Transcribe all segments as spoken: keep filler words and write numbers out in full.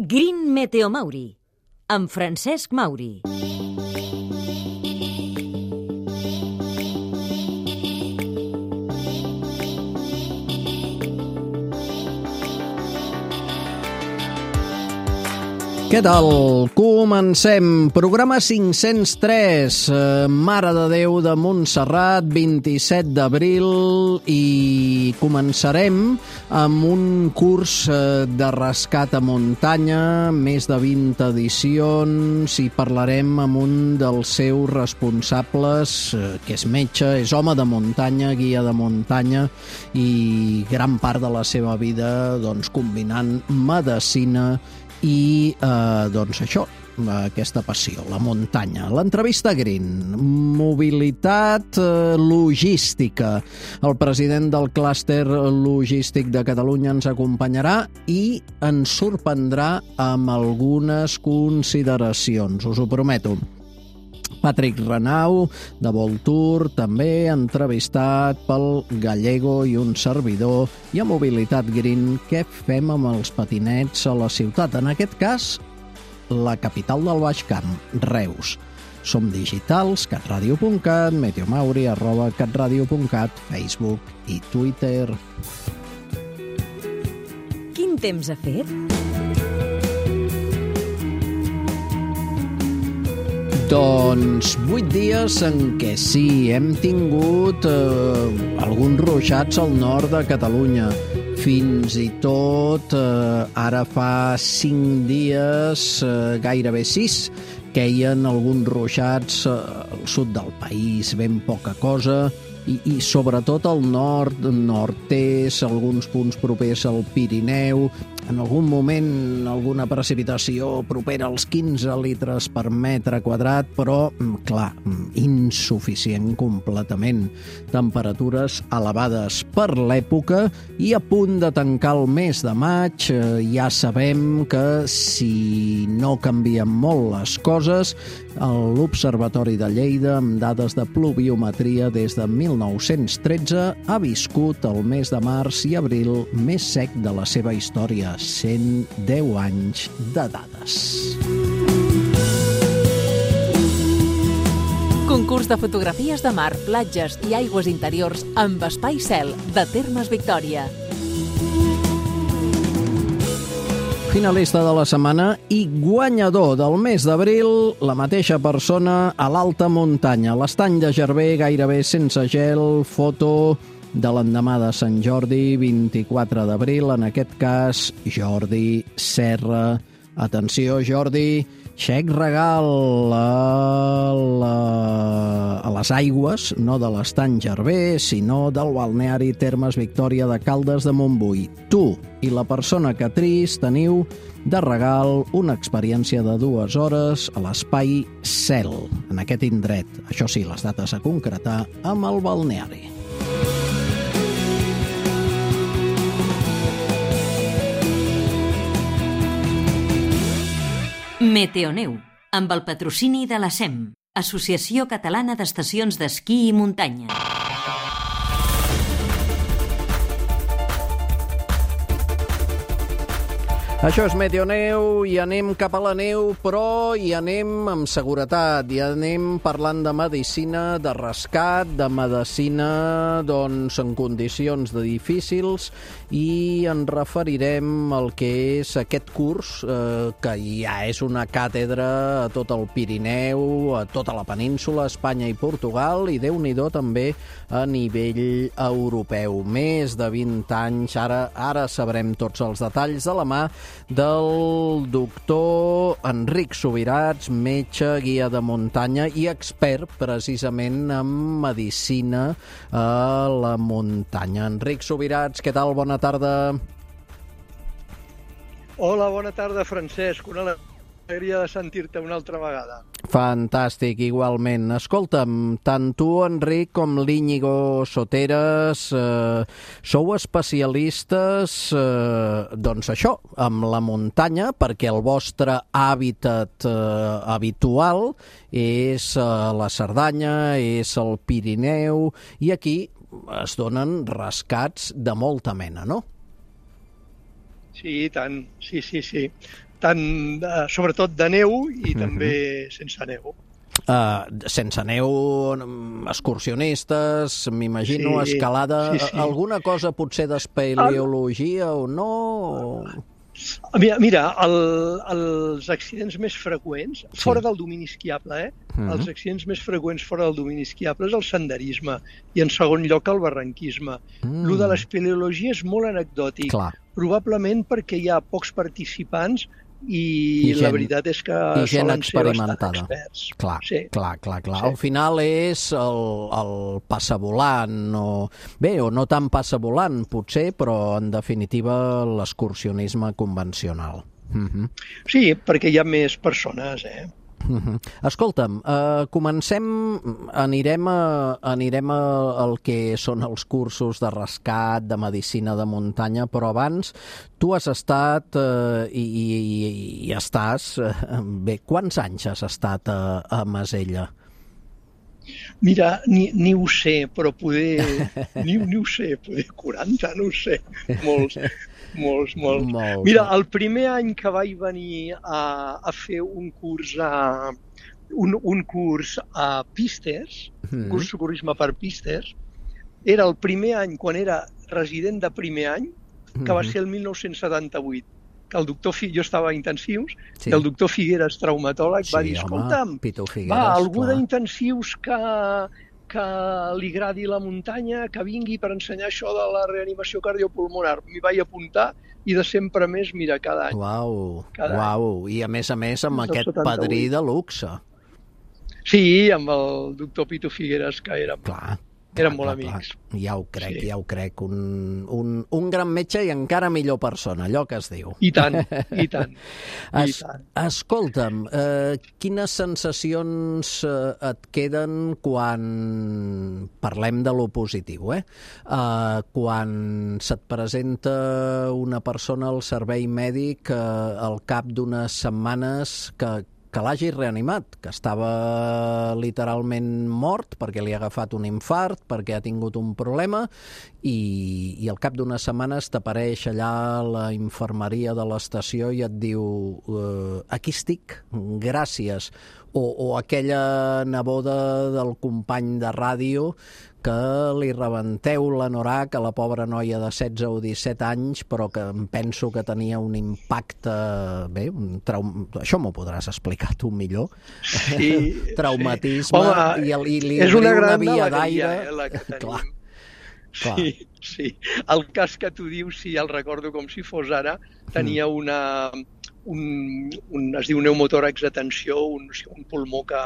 Green Meteo Mauri, amb Francesc Mauri. Què tal? Comencem. Programa cinc-cents tres, eh, Mare de Déu de Montserrat, vint-i-set d'abril, i començarem amb un curs eh, de rescat a muntanya, més de vint edicions, i parlarem amb un dels seus responsables, eh, que és metge, és home de muntanya, guia de muntanya, i gran part de la seva vida doncs, combinant medicina i eh, doncs això, aquesta passió, la muntanya. L'entrevista Green, mobilitat eh, logística. El president del clúster logístic de Catalunya ens acompanyarà i ens sorprendrà amb algunes consideracions, us ho prometo. Patrick Renau, de Voltour, també entrevistat pel Gallego i un servidor, i a Mobilitat Green, què fem amb els patinets a la ciutat? En aquest cas, la capital del Baix Camp, Reus. Som digitals, catradio punt cat, meteomauri, arroba catradio punt cat, Facebook i Twitter. Quin temps ha fet? Doncs vuit dies en què sí, hem tingut eh, alguns ruixats al nord de Catalunya. Fins i tot, eh, ara fa cinc dies, eh, gairebé sis, queien alguns ruixats eh, al sud del país, ben poca cosa, i, i sobretot al nord, nord-est, alguns punts propers al Pirineu, en algun moment alguna precipitació propera als quinze litres per metre quadrat, però, clar, insuficient completament. Temperatures elevades per l'època i a punt de tancar el mes de maig. Ja sabem que si no canvien molt les coses, l'Observatori de Lleida, amb dades de pluviometria des de mil nou-cents tretze, ha viscut el mes de març i abril més sec de la seva història. cent deu anys de dades. Concurs de fotografies de mar, platges i aigües interiors amb espai cel de Termes Victòria. Finalista de la setmana i guanyador del mes d'abril, la mateixa persona a l'alta muntanya. L'estany de Gerver, gairebé sense gel, foto de l'endemà de Sant Jordi, vint-i-quatre d'abril, en aquest cas, Jordi Serra. Atenció, Jordi, xec regal a, la, a les aigües, no de l'estany Gerver, sinó del balneari Termes Victòria de Caldes de Montbui. Tu i la persona que tris teniu de regal una experiència de dues hores a l'espai Cel, en aquest indret. Això sí, les dates a concretar amb el balneari. Meteoneu, amb el patrocini de la S E M, Associació Catalana d'Estacions d'Esquí i Muntanya. Això és Meteoneu, i anem cap a la neu, però hi anem amb seguretat, i anem parlant de medicina, de rescat, de medicina doncs, en condicions de difícils, i ens referirem al que és aquest curs, eh, que ja és una càtedra a tot el Pirineu, a tota la península, Espanya i Portugal, i Déu-n'hi-do també a nivell europeu. Més de vint anys, ara, ara sabrem tots els detalls de la mà del doctor Enric Subirats, metge, guia de muntanya i expert precisament en medicina a la muntanya. Enric Subirats, què tal? Bona tarda. Hola, bona tarda, Francesc. Una alegria de sentir-te una altra vegada. Fantàstic, igualment. Escolta'm, tant tu, Enric, com l'Íñigo Soteras, eh, sou especialistes, eh, doncs això, amb la muntanya, perquè el vostre hàbitat eh, habitual és eh, la Cerdanya, és el Pirineu, i aquí es donen rescats de molta mena, no? Sí, i tant. Sí, sí, sí. tant, uh, sobretot de neu i uh-huh. també sense neu. Uh, sense neu, excursionistes, m'imagino, sí, escalada, sí, sí. Alguna cosa potser d'espeleologia o no? O... Mira, mira el, els accidents més freqüents, sí. fora del domini esquiable, eh? Mm-hmm. Els accidents més freqüents fora del domini esquiable és el senderisme i, en segon lloc, el barranquisme. Mm. Lo de l'espeleologia és molt anecdòtic, clar. Probablement perquè hi ha pocs participants i, I gent, la veritat és que solen ser bastant experts. Clar, sí. clar, clar, clar. Sí. Al final és el, el passavolant, o bé, o no tan passavolant, potser, però en definitiva l'excursionisme convencional. Mm-hmm. Sí, perquè hi ha més persones, eh? Uh-huh. Escolta'm, uh, comencem, anirem, a, anirem a, al que són els cursos de rescat, de medicina de muntanya, però abans tu has estat uh, i, i, i estàs, uh, bé, quants anys has estat a, a Masella? Mira, ni, ni ho sé, però poder... ni, ni ho sé, poder quaranta, no ho sé, molts... Molts, molts. molts. Mira, el primer any que vaig venir a, a fer un curs a, un, un curs a pistes, mm. un curs de socorrisme per pistes, era el primer any, quan era resident de primer any, que mm-hmm. va ser el mil nou-cents setanta-vuit, que el doctor Figueres, jo estava a intensius, sí. i el doctor Figueres, traumatòleg, sí, va dir, escolta'm, Figueres, va, algú d'intensius que... que li agradi la muntanya, que vingui per ensenyar això de la reanimació cardiopulmonar. M'hi vaig apuntar i de sempre més, mira, cada any. Uau, cada uau. Any. I a més a més amb aquest setanta-vuit. Padrí de luxe. Sí, amb el doctor Pitu Figueres, que érem, clar, érem clar, molt clar, amics. Clar. Ja ho crec, sí. ja ho crec. Un, un, un gran metge i encara millor persona, allò que es diu. I tant, i tant. Es, i tant. Escolta'm, eh, quines sensacions eh, et queden quan parlem de lo positiu, eh? eh? Quan se't presenta una persona al servei mèdic eh, al cap d'unes setmanes que que l'hagi reanimat, que estava literalment mort perquè li ha agafat un infart, perquè ha tingut un problema, i, i al cap d'unes setmanes t'apareix allà a la infermeria de l'estació i et diu eh, aquí estic, gràcies. O, o aquella neboda del company de ràdio que li rebenteu l'anorac a la pobra noia de setze o disset anys, però que em penso que tenia un impacte... Bé, un traum... això m'ho podràs explicar tu millor. Sí, traumatisme, sí. Home, i, i li és una, una gran via d'aire. Eh, la que tenim. Clar. Clar. Sí, sí. El cas que tu dius, sí, el recordo com si fos ara, tenia una... Un, un, es diu pneumotòrax de tensió, un, un pulmó que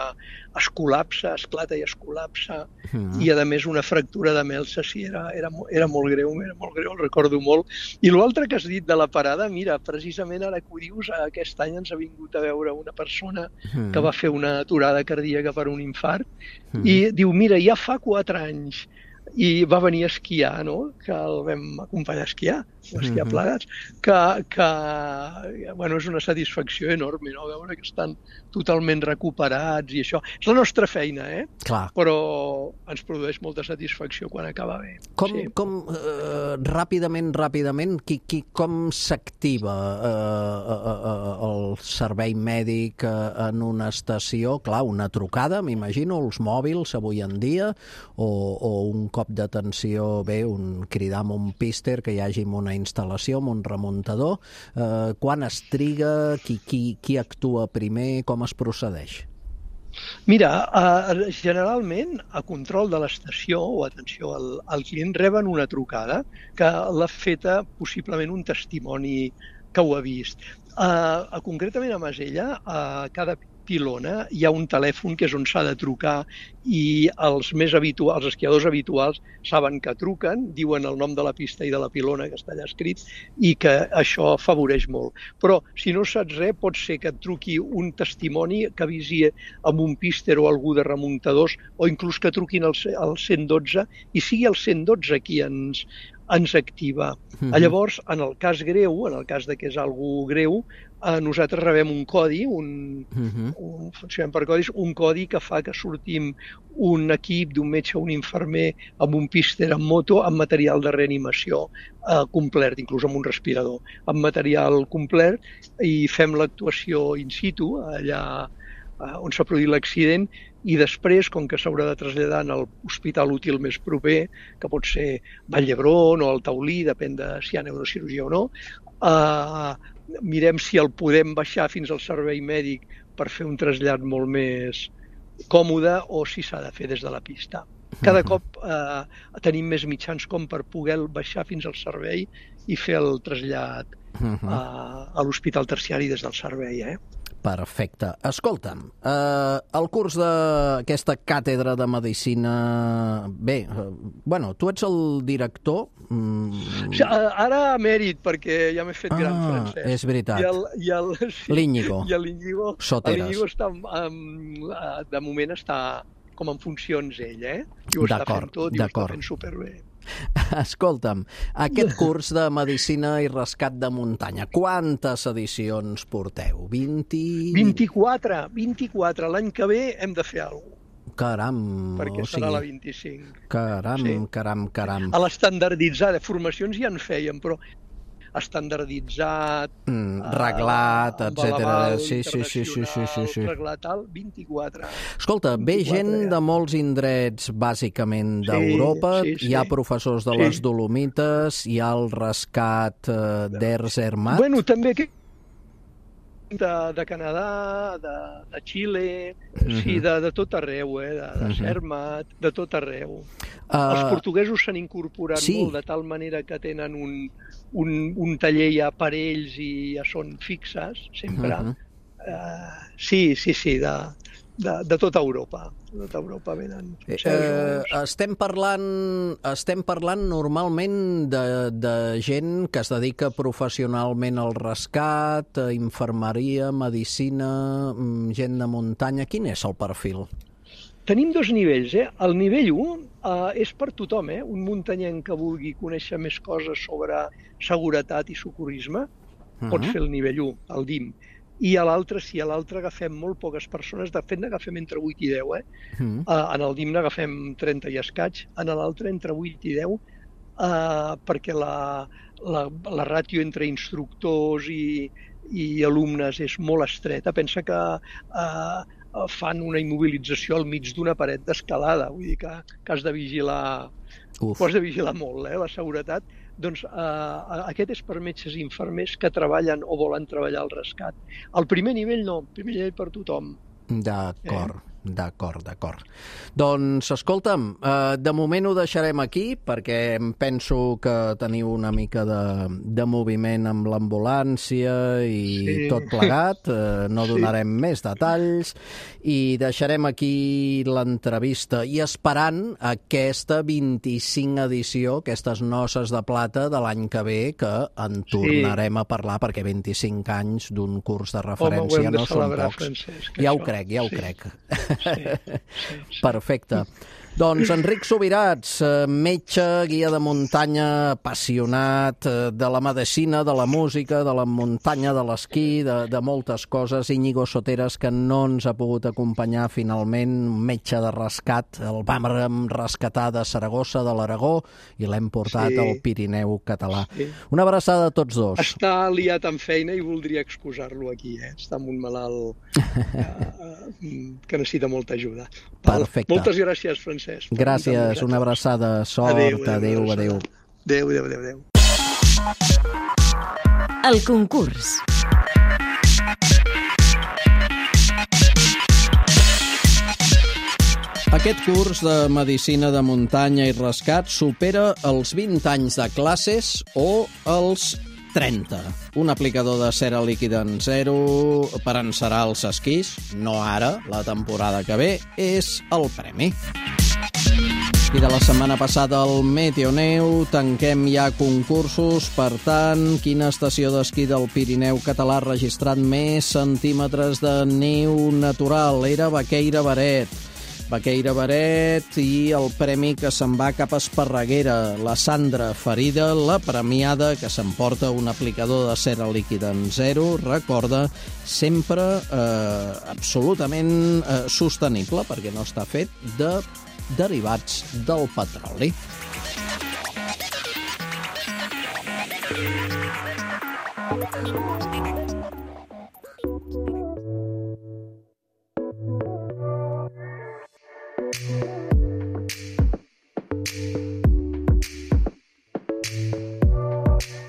es col·lapsa, esclata i es col·lapsa, mm. i a més una fractura de melsa, sí, era, era, era molt greu, era molt greu, el recordo molt. I l'altre que has dit de la parada, mira, precisament ara que ho dius, aquest any ens ha vingut a veure una persona mm. que va fer una aturada cardíaca per un infart, mm. i diu, mira, ja fa quatre anys, i va venir a esquiar, no? Que el vam acompanyar a esquiar, a esquiar plegats, que, que bueno, és una satisfacció enorme, no? Veure que estan totalment recuperats i això. És la nostra feina, eh? Clar. Però ens produeix molta satisfacció quan acaba bé. Com, sí. com uh, ràpidament, ràpidament, qui, qui, com s'activa uh, uh, uh, el servei mèdic uh, en una estació? Clar, una trucada, m'imagino, els mòbils avui en dia, o, o un cop d'atenció, bé, un cridar amb un píster, que hi hagi una instal·lació, amb un remuntador. Eh, quan es triga, qui, qui, qui actua primer, com es procedeix? Mira, eh, generalment a control de l'estació o atenció al, al client reben una trucada que l'ha feta possiblement un testimoni que ho ha vist. Eh, concretament a Masella, a cada pilona hi ha un telèfon que és on s'ha de trucar i els més habituals, els esquiadors habituals saben que truquen, diuen el nom de la pista i de la pilona que està allà escrit i que això afavoreix molt. Però si no saps res, pot ser que et truqui un testimoni que avisi amb un píster o algú de remuntadors o inclús que truquin al, al cent dotze i sigui el cent dotze qui ens ens activa. Mm-hmm. Llavors, en el cas greu, en el cas de que és algú greu, eh, nosaltres rebem un codi, un, uh-huh. un, funcionem per codis, un codi que fa que sortim un equip d'un metge o un infermer amb un píster en moto amb material de reanimació eh, complet, inclús amb un respirador, amb material complet, i fem l'actuació in situ, allà eh, on s'ha produït l'accident, i després, com que s'haurà de traslladar a l'hospital útil més proper, que pot ser Vall d'Hebron o el Taulí, depèn de si hi ha neurocirurgia o no, eh, mirem si el podem baixar fins al servei mèdic per fer un trasllat molt més còmode o si s'ha de fer des de la pista. Cada uh-huh. cop eh, tenim més mitjans com per poder baixar fins al servei i fer el trasllat uh-huh. eh, a l'hospital terciari des del servei. Eh? Perfecte. Escolta'm, eh, el curs d'aquesta càtedra de Medicina... Bé, eh, bueno, tu ets el director... Mm... Sí, ara emèrit, perquè ja m'he fet ah, gran, Francesc. És veritat. I el, i el, sí, L'Íñigo. I l'Íñigo, l'Íñigo està, um, de moment està com en funcions ell, eh? I ho està fent tot, i ho està fent superbé. Escolta'm, aquest curs de Medicina i Rescat de Muntanya, quantes edicions porteu? vint... vint-i-quatre, vint-i-quatre. L'any que ve hem de fer alguna cosa. Caram! Perquè o serà sigui... la vint-i-cinc. Caram, sí. caram, caram. A l'estandarditzada, formacions ja en fèiem, però estandarditzat, mm, reglat, uh, etcètera. Sí, sí, sí, sí, sí, sí, sí. Reglat, tal, vint-i-quatre. Escolta, ve gent ja. de molts indrets, bàsicament d'Europa, sí, sí, sí. hi ha professors de les sí. Dolomites, hi ha el rescat uh, d'Erzermatt. Bueno, també que de, de Canadà, de, de Xile, uh-huh. sí, de, de tot arreu, eh? de, de uh-huh. Zermatt, de tot arreu. Uh, Els portuguesos s'han incorporat sí. molt, de tal manera que tenen un, un, un taller ja per ells i ja són fixes, sempre. Uh-huh. uh, sí, sí, sí, de, de, de tota Europa. De tota Europa venen. Eh, eh, estem parlant, estem parlant normalment de, de gent que es dedica professionalment al rescat, infermeria, medicina, gent de muntanya. Quin és el perfil? Tenim dos nivells. Eh? El nivell u eh, és per tothom. Eh? Un muntanyenc que vulgui conèixer més coses sobre seguretat i socorrisme uh-huh. pot fer el nivell u, el D I M. I a l'altre, sí, a l'altre agafem molt poques persones, de fet n'agafem entre vuit i deu, eh? Mm. Uh, en el D I M n'agafem trenta i escaig, en l'altre entre vuit i deu, uh, perquè la, la, la ràtio entre instructors i, i alumnes és molt estreta. Pensa que uh, fan una immobilització al mig d'una paret d'escalada, vull dir que, que has de vigilar, has de vigilar molt, eh, la seguretat. Doncs eh, aquest és per metges i infermers que treballen o volen treballar al rescat. El primer nivell no, el primer nivell per tothom. D'acord, eh? d'acord, d'acord. Doncs, escolta'm, eh, de moment ho deixarem aquí, perquè em penso que teniu una mica de, de moviment amb l'ambulància i sí. tot plegat, eh, no donarem sí. més detalls, i deixarem aquí l'entrevista, i esperant aquesta vint-i-cinc edició, aquestes noces de plata de l'any que ve, que en tornarem sí. a parlar, perquè vint-i-cinc anys d'un curs de referència Home, no són pocs. Francesc, ja això. ho crec, ja ho sí. crec. Sí, sí, sí. Perfecte. Doncs Enric Subirats, metge, guia de muntanya, apassionat de la medicina, de la música, de la muntanya, de l'esquí, de, de moltes coses. Íñigo Soteras, que no ens ha pogut acompanyar finalment, metge de rescat. El vam rescatar de Saragossa, de l'Aragó, i l'hem portat sí. al Pirineu català. Sí. Una abraçada a tots dos. Està liat amb feina i voldria excusar-lo aquí. Eh? Està amb un malalt eh, que necessita molta ajuda. Perfecte. Moltes gràcies, Francesc. Gràcies, una abraçada, sort, adéu, adéu, adéu. Adéu, adéu, adéu, adéu. El concurs. Aquest curs de Medicina de Muntanya i Rescat supera els vint anys de classes o els trenta. Un aplicador de cera líquida en zero per encerar els esquís, no ara, la temporada que ve, és el premi. I de la setmana passada al Meteoneu tanquem ja concursos, per tant, quina estació d'esquí del Pirineu català ha registrat més centímetres de neu natural? Era Baqueira Beret. Baqueira Baret i el premi que se'n va cap a Esparreguera, la Sandra Ferida, la premiada que s'emporta un aplicador de cera líquida en zero, recorda, sempre eh, absolutament eh, sostenible, perquè no està fet de derivats del petroli.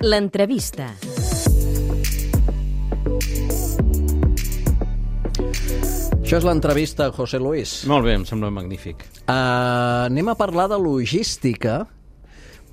L'entrevista. Això és l'entrevista, José Luis. Molt bé, em sembla magnífic. Uh, anem a parlar de logística,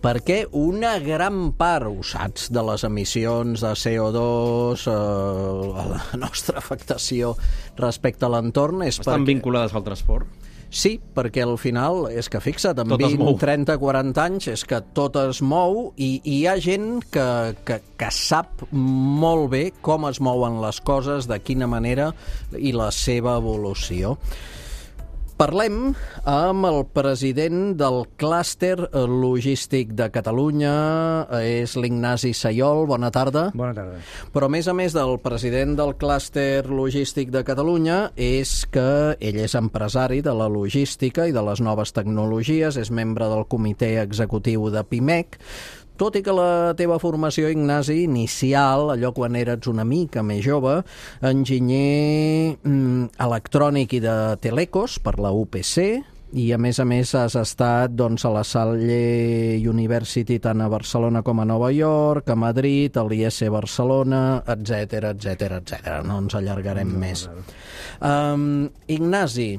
perquè una gran part, ho saps, de les emissions de C O dos, uh, la nostra afectació respecte a l'entorn és Estan perquè... vinculades al transport? Sí, perquè al final és que, fixa't, en Tot es vint, mou. trenta, quaranta anys és que tot es mou i, i hi ha gent que, que, que sap molt bé com es mouen les coses, de quina manera i la seva evolució. Parlem amb el president del clúster logístic de Catalunya, és l'Ignasi Sayol. Bona tarda. Bona tarda. Però, a més a més del president del clúster logístic de Catalunya, és que ell és empresari de la logística i de les noves tecnologies, és membre del comitè executiu de Pimec, tot i que la teva formació, Ignasi, inicial, allò quan eres una mica més jove, enginyer mm, electrònic i de telecos per la U P C, i a més a més has estat doncs, a la Salle University tant a Barcelona com a Nova York, a Madrid, a l'I S Barcelona, etcètera, etcètera, etcètera. No ens allargarem no, més. No. Um, Ignasi,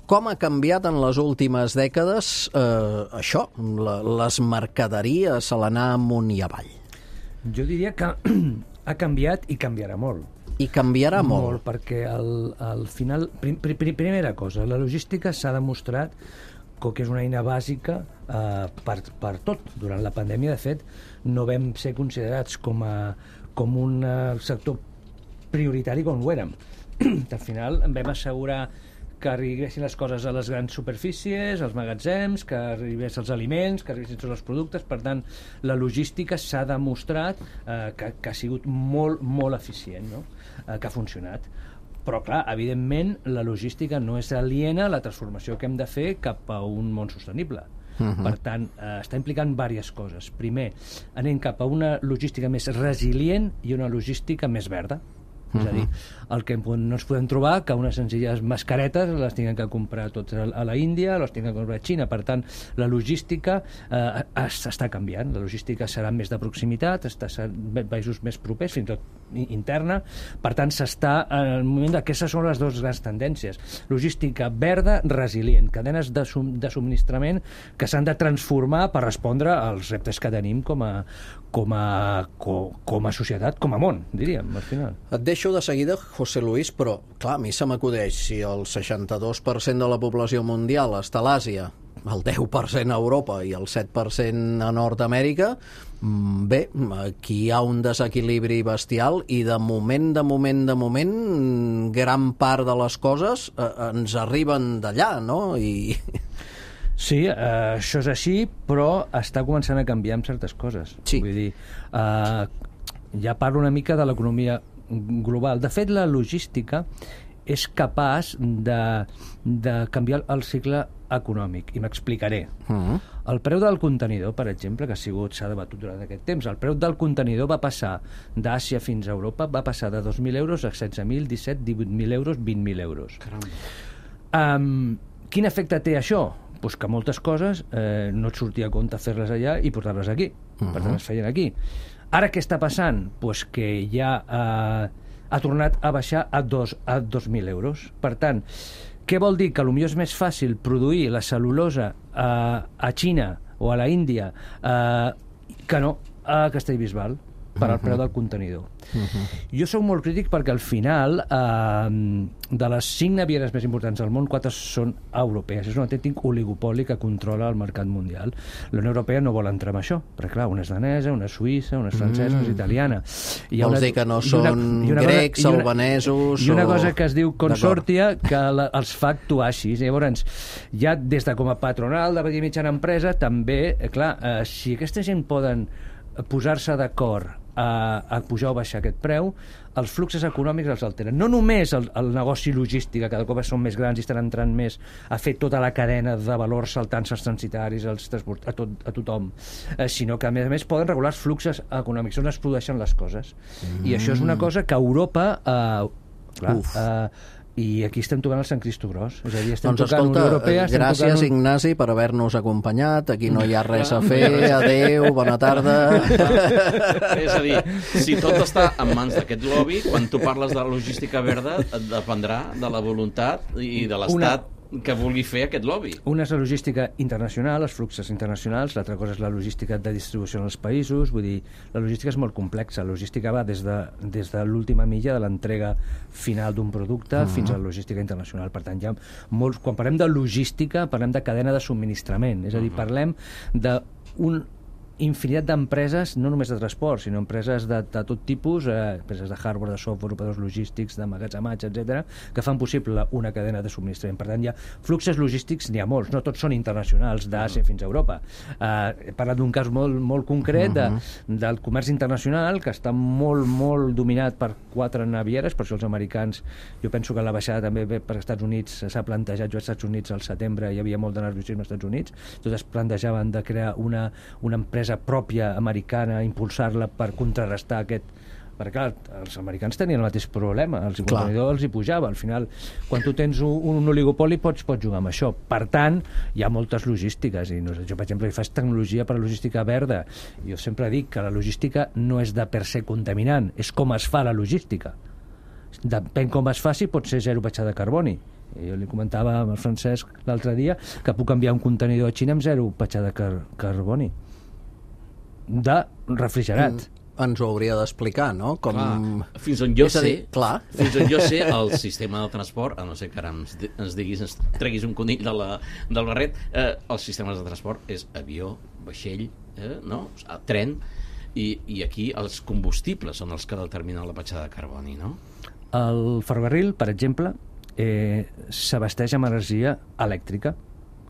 com ha canviat en les últimes dècades eh, això, la, les mercaderies a l'anar amunt i avall? Jo diria que ha canviat i canviarà molt. I canviarà molt? Molt, perquè al, al final... Prim, prim, primera cosa, la logística s'ha demostrat que és una eina bàsica eh, per, per tot. Durant la pandèmia, de fet, no vam ser considerats com, a, com un uh, sector prioritari com ho érem. Al final vam assegurar que arribessin les coses a les grans superfícies, als magatzems, que arribessin els aliments, que arribessin tots els productes. Per tant, la logística s'ha demostrat eh, que, que ha sigut molt, molt eficient, no? eh, que ha funcionat. Però, clar, evidentment, la logística no és aliena a la transformació que hem de fer cap a un món sostenible. Uh-huh. Per tant, eh, està implicant diverses coses. Primer, anem cap a una logística més resilient i una logística més verda. És a dir, el que no ens podem trobar que unes senzilles mascaretes les tinguem que comprar tots a la Índia, les tinguem que comprar a Xina. Per tant, la logística eh, està canviant. La logística serà més de proximitat, està a països més propers, fins i tot interna. Per tant, s'està en el moment d'aquestes són les dues grans tendències. Logística verda, resilient, cadenes de, sum, de subministrament que s'han de transformar per respondre als reptes que tenim com a, com a, com, com a societat, com a món, diríem, al final. Et deixo de seguida, José Luis, però, clar, a mi se m'acudeix, si el seixanta-dos per cent de la població mundial està a l'Àsia, el deu per cent a Europa i el set per cent a Nord-Amèrica, bé, aquí hi ha un desequilibri bestial i de moment, de moment, de moment, gran part de les coses eh, ens arriben d'allà, no? I... Sí, eh, això és així, però està començant a canviar amb certes coses. Sí. Vull dir, eh, ja parlo una mica de l'economia global. De fet, la logística és capaç de, de canviar el cicle econòmic, i m'explicaré. Uh-huh. El preu del contenidor, per exemple, que ha sigut, s'ha debatut durant aquest temps, el preu del contenidor va passar d'Àsia fins a Europa, va passar de dos mil euros a setze mil, disset, divuit mil euros, vint mil euros. Um, quin efecte té això? Pues que moltes coses eh, no et sortia a compte fer-les allà i portar-les aquí. Uh-huh. Per tant, es feien aquí. Ara què està passant? Pues que ja eh, ha tornat a baixar a dos a dos mil euros. Per tant, què vol dir? Que potser és més fàcil produir la cel·lulosa eh, a Xina o a la Índia eh, que no a Castellbisbal. per al preu del contenidor. Uh-huh. Jo sóc molt crític perquè al final eh, de les cinc navieres més importants del món, quatre són europees. És un autèntic oligopoli que controla el mercat mundial. La Unió Europea no vol entrar en això, perquè clar, una és danesa, una és suïssa, una és francesa, una és italiana. I Vols una, dir que no són una, una grecs, cosa, albanesos... I una o... cosa que es diu consortia que la, els fa actuar així. Llavors, ja des de com a patronal de petita i mitjana empresa, també, eh, clar, eh, si aquesta gent poden posar-se d'acord a, a pujar o baixar aquest preu, els fluxos econòmics els alteren. No només el, el negoci logístic, que cada cop són més grans i estan entrant més a fer tota la cadena de valors saltant els transitaris, els transport, a, tot, a tothom, eh, sinó que a més a més poden regular els fluxos econòmics, on es produeixen les coses. Mm. I això és una cosa que Europa... Eh, clar, eh, i aquí estem tocant el Sant Cristo Gros. És a dir, estem doncs tocant escolta, Unió Europea... Gràcies, tocant... Ignasi, per haver-nos acompanyat. Aquí no hi ha res a fer. Adéu, bona tarda. És a dir, si tot està en mans d'aquest lobby, quan tu parles de la logística verda, et dependrà de la voluntat i de l'Estat Una... que vulgui fer aquest lobby. Una és la logística internacional, els fluxos internacionals, l'altra cosa és la logística de distribució en els països, vull dir, la logística és molt complexa, la logística va des de, des de l'última milla de l'entrega final d'un producte uh-huh. fins a la logística internacional. Per tant, hi ha molts... Quan parlem de logística, parlem de cadena de subministrament, és a dir, parlem d'un infinitat d'empreses, no només de transport, sinó empreses de, de tot tipus, eh, empreses de hardware, de software, operadors logístics, de magatzematge, etcètera, que fan possible una cadena de subministrament. Per tant, hi ha fluxos logístics, n'hi ha molts, no tots són internacionals, d'Àsia fins a Europa. Eh, he parlat d'un cas molt, molt concret de, del comerç internacional, que està molt, molt dominat per quatre navieres, per això els americans, jo penso que la baixada també ve per Estats Units, s'ha plantejat, jo als Estats Units al setembre hi havia molt de nerviosisme als Estats Units, tots es plantejaven de crear una, una empresa pròpia americana, impulsar-la per contrarrestar aquest... Perquè clar, els americans tenien el mateix problema, els contenidors els hi pujava. Al final, quan tu tens un, un oligopoli pots, pots jugar amb això. Per tant, hi ha moltes logístiques. I no sé, jo, per exemple, faig tecnologia per a logística verda. Jo sempre dic que la logística no és de per se contaminant, és com es fa la logística. Depèn com es faci, pot ser zero petjada de carboni. Jo li comentava al Francesc l'altre dia que puc enviar un contenidor a Xina amb zero petjada de car carboni. De refrigerat. Mm, ens ho hauria d'explicar, no? Com... Clar, fins on jo és a dir, sé, clar. fins on jo sé, el sistema de transport, a no ser que ara ens, ens diguis, ens treguis un conill de la, del barret, eh, els sistemes de transport és avió, vaixell, eh, no? tren, i, i aquí els combustibles són els que determinen la petjada de carboni, no? El ferrocarril, per exemple, eh, s'abasteix amb energia elèctrica,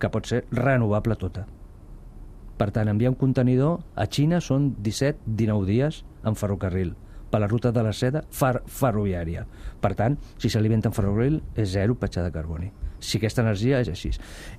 que pot ser renovable tota. Per tant, enviar un contenidor a Xina són disset dinou dies en ferrocarril, per la ruta de la seda fer ferroviària. Per tant, si s'alimenta en ferrocarril, és zero petjada de carboni. Si aquesta energia és així.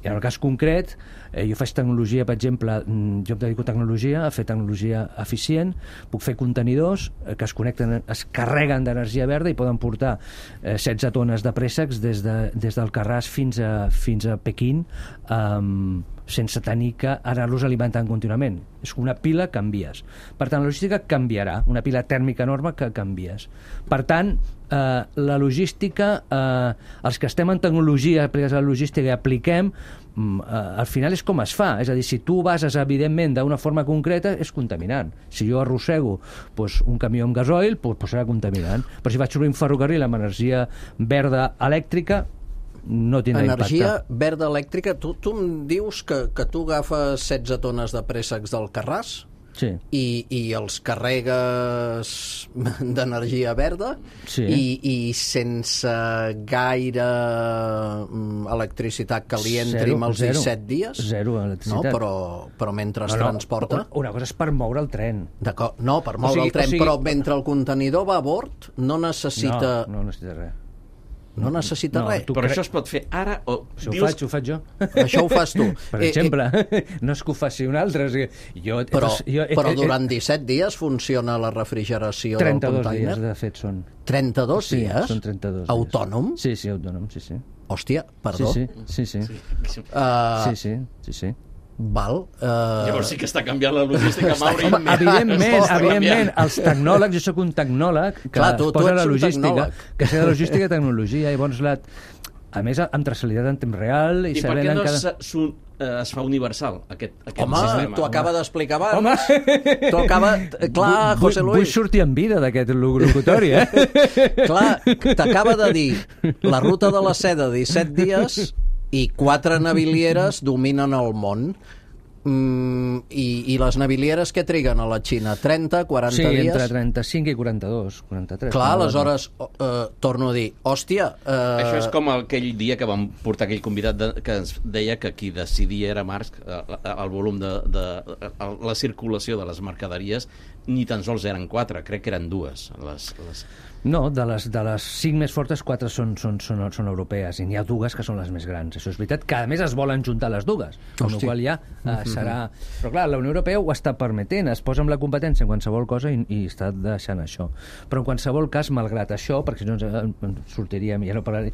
I en el cas concret, eh, jo faig tecnologia, per exemple, jo em dedico a tecnologia, a fer tecnologia eficient, puc fer contenidors eh, que es connecten, es carreguen d'energia verda i poden portar eh, setze tones de préssecs des, de, des del Carràs fins a, fins a Pequín, eh, sense tenir que anar-los alimentant contínuament. És una pila que envies. Per tant, la logística canviarà, una pila tèrmica enorme que canvies. Per tant, eh, la logística, eh, els que estem en tecnologia, aplicats a la logística i apliquem, eh, al final és com es fa. És a dir, si tu bases, evidentment, d'una forma concreta, és contaminant. Si jo arrossego pues, un camió amb gasoil, pues, pues serà contaminant. Però si vaig obrir un ferrocarril amb energia verda elèctrica, no tindrà energia impacte. Verda elèctrica, tu, tu em dius que, que tu agafes setze tones de préssecs del Carràs sí. i, i els carregues d'energia verda sí. i, i sense gaire um, electricitat que li entri zero, amb els zero, disset dies zero electricitat. no, però, però mentre es no, no, transporta una cosa és per moure el tren no, per moure o sigui, el tren, o sigui... però mentre el contenidor va a bord no necessita no, no necessita res. No necessita no, res. Però això es pot fer ara o... Això dius... ho faig, ho faig jo. Això ho fas tu. Per exemple, eh, eh... no és que ho faci un altre. O sigui, jo, però, jo, eh, però durant disset dies funciona la refrigeració del container? trenta-dos dies, de fet, són. trenta-dos sí, dies? Són trenta-dos dies. Autònom? Sí, sí, autònom, sí, sí. Hòstia, perdó. Sí, sí, sí. sí. Sí. Uh, sí, sí, sí, sí. Val. Uh... Llavors sí que està canviant la logística, Mauri. Home, evidentment, evidentment, els tecnòlegs, jo sóc un tecnòleg que Clar, tu, es posa la logística, que sé de logística i tecnologia, i llavors la... A més, amb traçabilitat en temps real... I, I per què no cada... eh, es fa universal, aquest, aquest Home, sistema. t'ho acaba d'explicar abans. Home! T'ho acaba... Clar, Vull- José Vull Luis. sortir en vida d'aquest locutori, eh? Clar, t'acaba de dir la ruta de la seda disset dies i quatre navilieres dominen el món. Mm, i, i les navilieres que triguen a la Xina? trenta, quaranta Sí, dies? entre trenta-cinc i quaranta-dos, quaranta-tres. Clar, no, aleshores, eh, torno a dir, hòstia... Eh, Això és com aquell dia que vam portar aquell convidat de, que ens deia que qui decidia era Marx, eh, el volum de, de, de la circulació de les mercaderies ni tan sols eren quatre, crec que eren dues les, les... No, de les, de les cinc més fortes, quatre són, són, són, són europees, i n'hi ha dues que són les més grans. Això és veritat, que a més es volen juntar les dues, amb la qual ja eh, serà... Però clar, la Unió Europea ho està permetent, es posa amb la competència en qualsevol cosa i, i està deixant això. Però en qualsevol cas, malgrat això, perquè si no ens, ens sortiríem, ja no parlaré...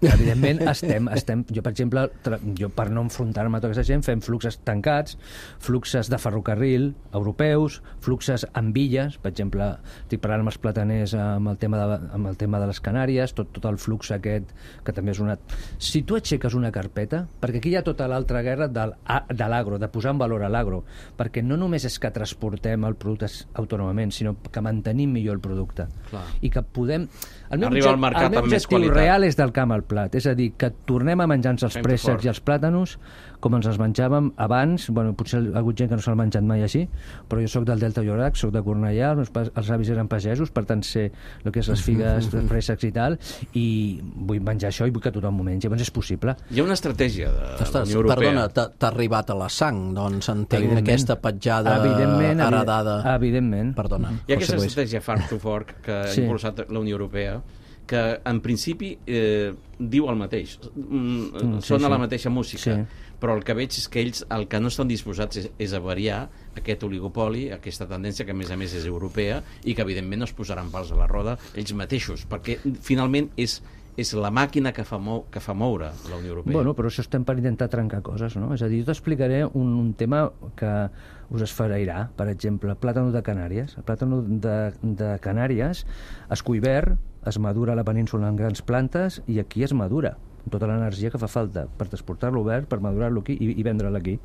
Evidentment, estem, estem... Jo, per exemple, tra... jo per no enfrontar-me a tota aquesta gent, fem fluxes tancats, fluxes de ferrocarril europeus, fluxes amb illes, per exemple, estic parlant amb els plataners amb el tema de, amb el tema de les Canàries, tot, tot el flux aquest, que també és una... Si tu aixeques una carpeta, perquè aquí hi ha tota l'altra guerra del, de l'agro, de posar en valor a l'agro, perquè no només és que transportem el producte autònomament, sinó que mantenim millor el producte. Clar. I que podem... El meu, Arribar al objectiu, mercat el meu amb més objectiu qualitat. real és del camp al plat, és a dir, que tornem a menjar-nos els Fem-te préssecs fort. i els plàtanos com ens els menjàvem abans. Bueno, potser hi ha hagut gent que no se'l ha menjat mai així, però jo sóc del Delta Llorac, sóc de Cornellà, els, meus pas, els avis eren pagesos, per tant sé el que és les figues, els préssecs i tal, i vull menjar això i vull que tothom ho mengi. Llavors és possible. Hi ha una estratègia de la Ostres, Unió Europea. perdona, t'ha t'ha arribat a la sang, doncs entenc Evidentment. aquesta petjada Evidentment, evi- heredada. Evidentment. Perdona, Hi ha aquesta José Luis. estratègia Farm to Fork que ha Sí. impulsat la Unió Europea, que en principi eh, diu el mateix. Mm, Mm, sí, sona sí. la mateixa música, Sí. però el que veig és que ells el que no estan disposats és, és a variar aquest oligopoli, aquesta tendència que a més a més és europea i que evidentment no es posaran pals a la roda ells mateixos, perquè finalment és és la màquina que fa, mou, que fa moure la Unió Europea. Bueno, però això estem per intentar trencar coses, no? És a dir, jo t'explicaré un, un tema que us esfereirà, per exemple, plàtano de Canàries. El plàtano de, de Canàries es cull verd, es madura a la península en grans plantes i aquí es madura tota l'energia que fa falta per transportar-lo verd, per madurar-lo aquí i, i vendre-lo aquí.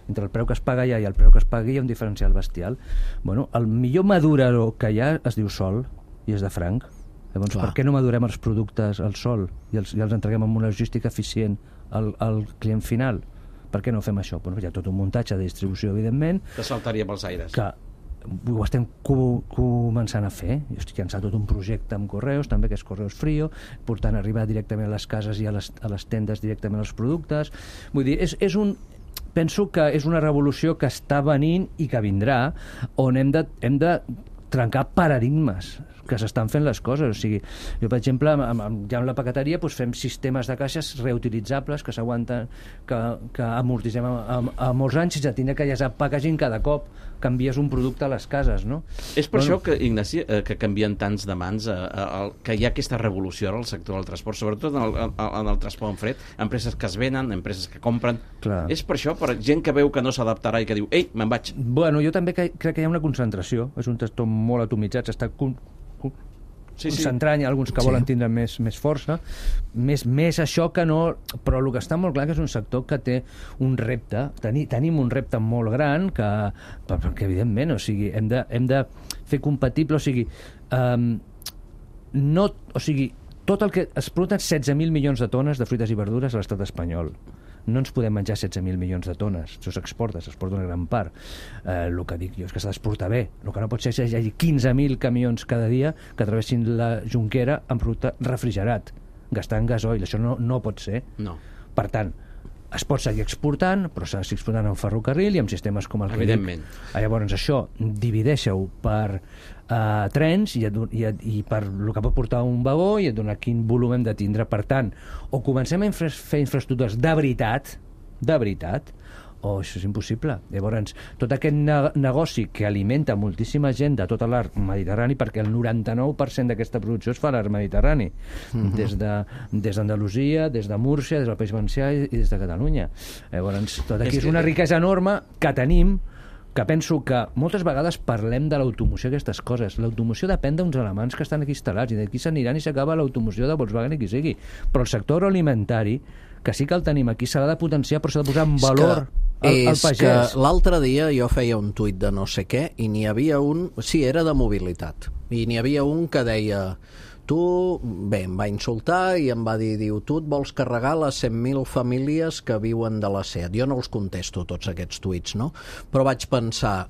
Entre el preu que es paga allà i el preu que es pagui hi ha un diferencial bestial. Bueno, el millor madurador que hi ha es diu sol i és de franc. Llavors, Clar. per què no madurem els productes al sol i els, i els entreguem amb una logística eficient al, al client final? Per què no fem això? Bueno, hi ha tot un muntatge de distribució, evidentment, Que saltaria pels aires. que ho estem co començant a fer. Jo estic llançant tot un projecte amb Correus, també, que és Correus Frío, portant a arribar directament a les cases i a les, a les tendes directament els productes. Vull dir, és, és un... Penso que és una revolució que està venint i que vindrà, on hem de, hem de trencar paradigmes que s'estan fent les coses. O sigui, jo, per exemple, amb, amb, ja amb la paqueteria doncs fem sistemes de caixes reutilitzables que s'aguanten, que, que amortitzem a, a, a molts anys sense tindre que llasar packaging cada cop canvies un producte a les cases, no? És per Bueno. això que, Ignasi, eh, que canvien tants de mans, eh, eh, que hi ha aquesta revolució ara al sector del transport, sobretot en el, en, en el transport en fred, empreses que es venen, empreses que compren. Clar. És per això, per gent que veu que no s'adaptarà i que diu, ei, me'n vaig. Bueno, jo també que, crec que hi ha una concentració, és un sector molt atomitzat, s'està con, con, Sí, sí. concentrant, hi ha alguns que Sí. volen tindre més, més força, més, més això que no... Però el que està molt clar que és un sector que té un repte, teni, tenim un repte molt gran que, perquè evidentment, o sigui, hem de, hem de fer compatible, o sigui, um, no, o sigui, tot el que es produten setze mil milions de tones de fruites i verdures a l'estat espanyol. No ens podem menjar setze mil milions de tones. Això s'exporta, s'exporta una gran part. Eh, el que dic jo és que s'ha d'exportar bé. El que no pot ser és que hi hagi quinze mil camions cada dia que travessin la Jonquera amb producte refrigerat, gastant gasoil. Això no, no pot ser. No. Per tant, es pot seguir exportant, però s'ha de seguir exportant en ferrocarril i amb sistemes com el que dic. Evidentment. Ah, llavors això, divideixeu per uh, trens i, et, do- i, et, i per el que pot portar un vagó i et dona quin volum hem de tindre. Per tant, o comencem a infra fer infraestructures de veritat, de veritat, o això és impossible. Llavors, tot aquest ne negoci que alimenta moltíssima gent de tot l'arc mediterrani, perquè el noranta-nou per cent d'aquesta producció es fa a l'arc mediterrani, Mhm. des de, des d'Andalusia, des de Múrcia, des del País Valencià i, i des de Catalunya. Llavors, tot aquí És és, que- una riquesa enorme que tenim, que penso que moltes vegades parlem de l'automoció i aquestes coses. L'automoció depèn d'uns alemans que estan aquí instal·lats i d'aquí s'aniran i s'acaba l'automoció de Volkswagen i qui sigui. Però el sector agroalimentari, que sí que el tenim aquí, s'ha de potenciar, però s'ha de posar en valor al, al pagès. És que l'altre dia jo feia un tuit de no sé què i n'hi havia un... Sí, era de mobilitat. I n'hi havia un que deia... Tu, bé, em va insultar i em va dir, diu, tu et vols carregar les cent mil famílies que viuen de la SEAT. Jo no els contesto, tots aquests tuits, no? Però vaig pensar,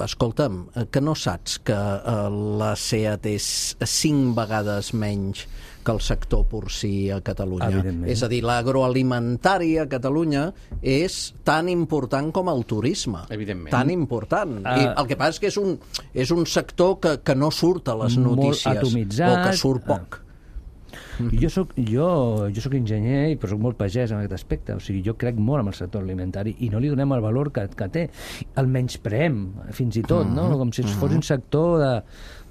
escolta'm, que no saps que eh, la SEAT és cinc vegades menys que el sector porcí a Catalunya. És a dir, l'agroalimentari a Catalunya és tan important com el turisme. Evidentment. Tan important. Uh, I el que passa és que és un, és un sector que, que no surt a les notícies. Molt atomitzat. O que surt poc. Uh. Jo soc, jo, jo soc enginyer, però soc molt pagès en aquest aspecte. O sigui, jo crec molt en el sector alimentari i no li donem el valor que, que té. El menyspreem, fins i tot, no? Com si fos un sector de...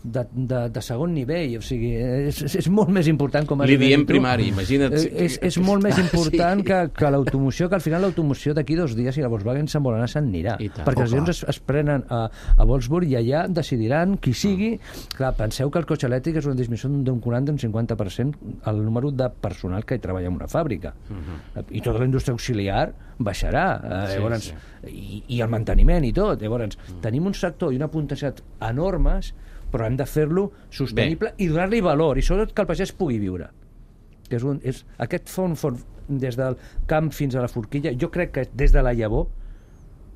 De, de, de segon nivell, o sigui, és, és molt més important, com has dit. Li diem primari, imagina't. És, és molt més important sí. que, que l'automoció, que al final l'automoció d'aquí dos dies, si la Volkswagen se'n vol anar, se'n anirà. Perquè els avions es, es prenen a, a Wolfsburg i allà decidiran qui sigui. Mm. Clar, penseu que el cotxe elèctric és una disminució d'un quaranta a un cinquanta per cent el número de personal que hi treballa en una fàbrica. Mm-hmm. I tota la indústria auxiliar baixarà. Eh, sí, llavors, sí. I, I el manteniment i tot. Llavors, mm. tenim un sector i una potencialitat enormes, però hem de fer-lo sostenible Bé. I donar-li valor, i sobretot que el pagès pugui viure. Que és un, és, aquest fons, fons des del camp fins a la forquilla, jo crec que des de la llavor,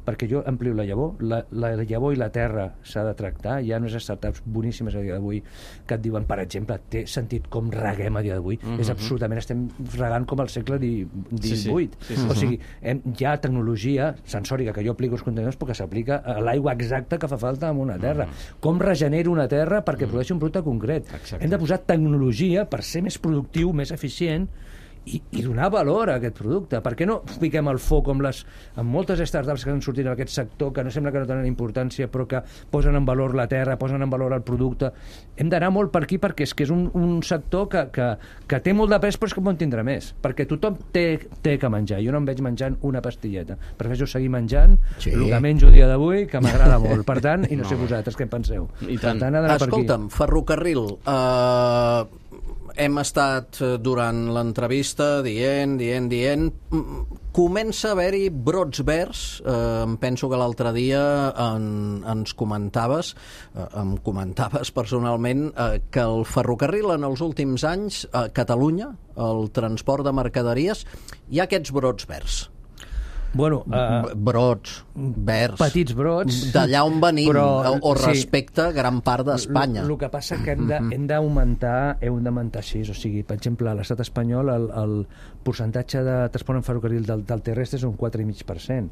perquè jo amplio la llavor, la, la llavor i la terra s'ha de tractar. Hi ha unes startups boníssimes a dia d'avui que et diuen, per exemple, té sentit com reguem a dia d'avui. Mm-hmm. És absolutament, estem regant com al segle divuit. Sí, sí. Sí, sí. O sigui, hem, hi ha tecnologia sensòrica que jo aplico als contenidors perquè s'aplica a l'aigua exacta que fa falta en una terra. Mm-hmm. Com regenero una terra perquè mm-hmm. produeixi un producte concret. Exacte. Hem de posar tecnologia per ser més productiu, més eficient, I, i donar valor a aquest producte. Per què no fiquem el foc amb les amb moltes startups que han sortit en aquest sector que no sembla que no tenen importància però que posen en valor la terra, posen en valor el producte. Hem d'anar molt per aquí perquè és que és un, un sector que, que, que té molt de pes però és que no en tindrà més, perquè tothom té, té que menjar. Jo no em veig menjant una pastilleta, prefereixo seguir menjant sí. el que menjo dia d'avui, que m'agrada molt. Per tant, i no, no sé vosaltres què en penseu. I tant. Per tant, escolta'm, ferrocarril, uh... hem estat durant l'entrevista dient, dient, dient... Comença a haver-hi brots verds. Eh, em penso que l'altre dia en, ens comentaves, eh, em comentaves personalment, eh, que el ferrocarril en els últims anys, a Catalunya, el transport de mercaderies, hi ha aquests brots verds. Bueno, uh, brots, verds, petits brots, d'allà on venim, però, o respecte sí, gran part d'Espanya. El que passa que hem de, hem d'augmentar, hem d'augmentar així, o sigui, per exemple, a l'estat espanyol el, el percentatge de transport en ferrocarril del, del terrestre és un quatre coma cinc per cent.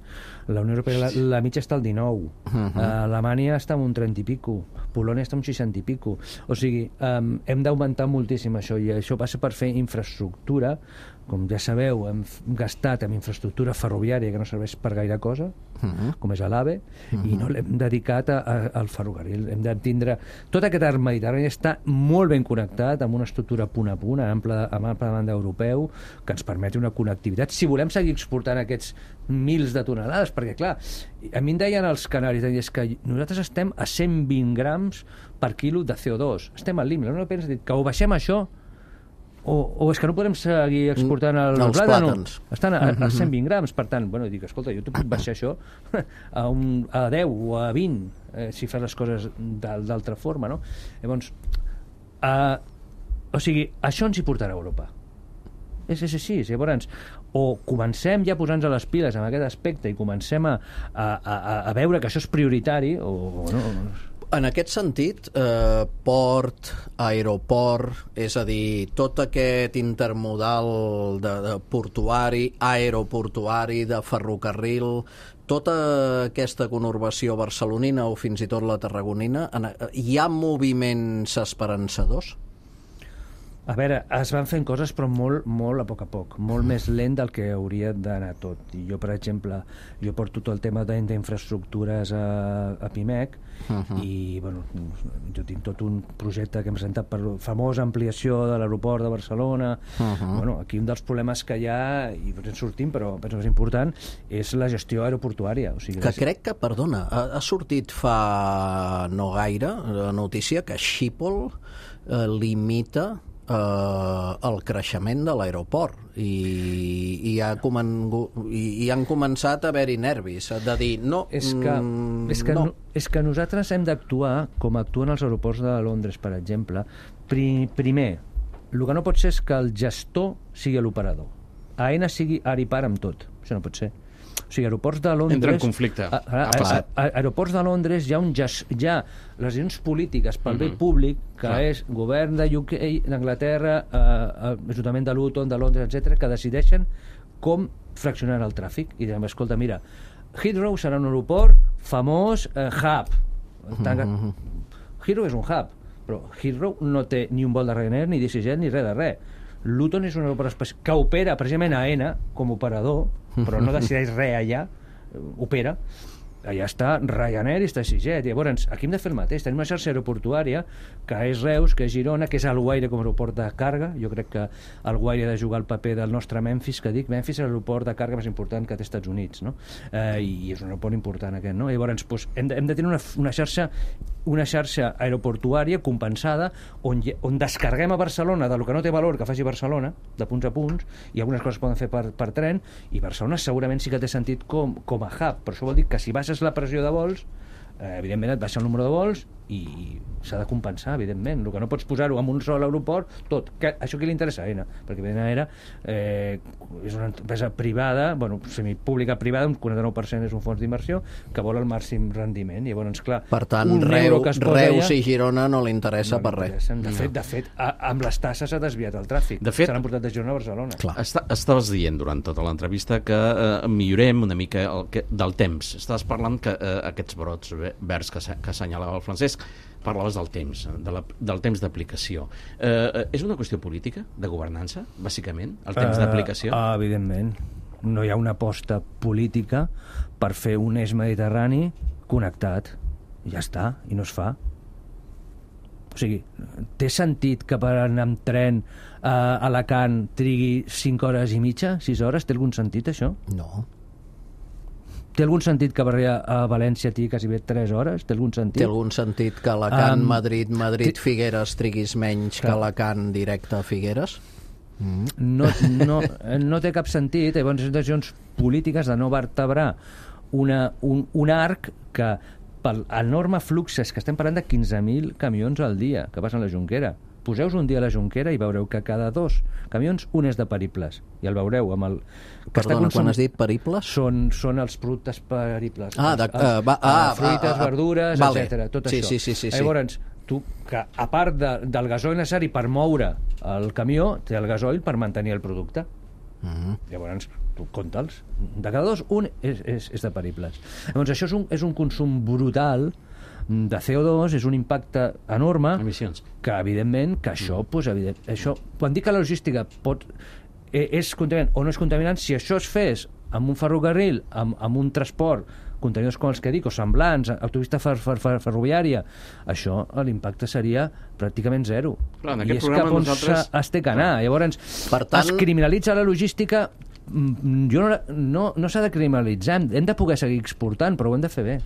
La Unió Europea, la, la mitja està al dinou. Uh-huh. uh, Alemanya està en un trenta i pico. Polònia està en un seixanta i pico. O sigui, um, hem d'augmentar moltíssim això, i això passa per fer infraestructura. Com ja sabeu, hem gastat en infraestructura ferroviària que no serveix per gaire cosa, uh-huh. com és l'AVE, uh-huh. i no l'hem dedicat a, a, al ferrocarril. Hem de tindre... Tot aquest arc mediterrani està molt ben connectat amb una estructura punt a punt, amb ample, amb ample de banda europeu, que ens permeti una connectivitat. Si volem seguir exportant aquests mils de tonelades, perquè, clar, a mi em deien els canaris, és que nosaltres estem a cent vint grams per quilo de C O dos. Estem al límit. La Unió Europea ens ha dit que o baixem això, O, o és que no podem seguir exportant el els plàtans. Estan a, a cent vint grams, per tant, bueno, dic, escolta, jo t'ho puc baixar això a, un, a deu o a vint, eh, si fas les coses d'altra forma, no? Llavors, eh, o sigui, això ens hi portarà a Europa. És, és així, llavors, o comencem ja a posar-nos a les piles en aquest aspecte i comencem a, a, a, a veure que això és prioritari, o, o no... En aquest sentit, eh, port, aeroport, és a dir, tot aquest intermodal de, de portuari, aeroportuari, de ferrocarril, tota aquesta conurbació barcelonina o fins i tot la tarragonina, en, hi ha moviments esperançadors? A veure, es van fent coses però molt, molt a poc a poc, molt més lent del que hauria d'anar tot. I jo, per exemple, jo porto tot el tema d'infraestructures a, a Pimec uh -huh. i, bueno, jo tinc tot un projecte que hem presentat per la famosa ampliació de l'aeroport de Barcelona. Uh -huh. Bueno, aquí un dels problemes que hi ha, i ens sortim, però penso que és important, és la gestió aeroportuària. O sigui, que crec que, perdona, ha, ha sortit fa no gaire la notícia que Schiphol eh, limita Uh, el creixement de l'aeroport i, i, ha comen... i, i han començat a haver-hi nervis de dir no, és que, mm, és que, no. És que nosaltres hem d'actuar com actuen els aeroports de Londres, per exemple. Pri, primer, el que no pot ser és que el gestor sigui l'operador. AENA sigui ara i para amb tot. Això no pot ser. O sigui, aeroports de Londres... Entra en conflicte. A, a, a, a, aeroports de Londres hi ha, un gest, hi ha les decisions polítiques pel bé uh -huh. públic, que Clar. és govern de U K, d'Anglaterra, eh, Ajuntament de Luton, de Londres, etcètera, que decideixen com fraccionar el tràfic. I diem, escolta, mira, Heathrow serà un aeroport famós, eh, hub. Uh -huh. Heathrow és un hub, però Heathrow no té ni un vol de Ryanair, ni d'EasyJet, ni res de res. Luton és un aeroport que opera precisament a AENA com a operador, però no decideix res allà, opera. Allà està Ryanair i està EasyJet. Llavors, aquí hem de fer el mateix. Tenim una xarxa aeroportuària que és Reus, que és Girona, que és Alguaire com a aeroport de càrrega. Jo crec que Alguaire ha de jugar el paper del nostre Memphis, que dic, Memphis és l'aeroport de càrrega més important que té Estats Units, no? Eh, I és un aeroport important aquest, no? Llavors, doncs, hem, de, hem de tenir una, una xarxa una xarxa aeroportuària compensada on, on descarreguem a Barcelona del que no té valor que faci Barcelona, de punts a punts, i algunes coses poden fer per, per tren, i Barcelona segurament sí que té sentit com, com a hub, però això vol dir que si baixes la pressió de vols, eh, evidentment et baixa el número de vols i s'ha de compensar, evidentment. El que no pots posar-ho en un sol aeroport, tot. Que, això qui li interessa a AENA? Perquè AENA eh, és una empresa privada, bueno, semipública privada, un quaranta-nou per cent és un fons d'inversió que vol el màxim rendiment. Llavors, clar, per tant, Reu, Reus allà, i Girona no li interessa no per res. De fet, de fet a, amb les tasses s'ha desviat el tràfic. De fet, s'han portat de Girona a Barcelona. Està, estaves dient durant tota l'entrevista que eh, millorem una mica el, que, del temps. Estaves parlant que eh, aquests brots verds que, que assenyalava el Francesc, parlaves del temps, de la, del temps d'aplicació. Eh, és una qüestió política, de governança, bàsicament, el temps uh, d'aplicació? Uh, evidentment. No hi ha una aposta política per fer un eix mediterrani connectat. Ja està, i no es fa. O sigui, té sentit que per anar amb tren a Alacant trigui cinc hores i mitja, sis hores? Té algun sentit, això? No. Té algun sentit que per arribar a València tingui quasi bé tres hores? Té algun sentit? Té algun sentit que Alacant, um, Madrid, Madrid, Figueres triguis menys que Alacant directe a Figueres? Mm. No, no, no té cap sentit. Llavors, són decisions polítiques de no vertebrar una, un, un arc que pel enorme fluxes, que estem parlant de quinze mil camions al dia que passen a la Jonquera. Poseu-vos un dia a la Jonquera i veureu que cada dos camions un és de periples. I el veureu amb el... Perdona, consum... quan has dit periples? Són, són els productes periples. Ah, de, uh, va, ah, fruites, ah, ah, verdures, vale. etcètera. Tot sí, això. Sí, sí, sí, sí. Llavors, tu, que a part de, del gasoil necessari per moure el camió, té el gasoil per mantenir el producte. Mm. Llavors, tu compta'ls. De cada dos, un és, és, és de periples. Llavors, això és un, és un consum brutal de C O dos, és un impacte enorme. Emissions. Que, evidentment, que això, mm. pues, evident, això quan dic que la logística pot, eh, és contaminant o no és contaminant, si això es fes amb un ferrocarril, amb, amb un transport, contenidors com els que dic, o semblants, autopista fer, fer, fer, ferroviària, això, l'impacte seria pràcticament zero. Clar, i és cap on nosaltres... es té que anar. Llavors, per tant... es criminalitza la logística. Jo no, no, no s'ha de criminalitzar, hem de poder seguir exportant, però ho hem de fer bé.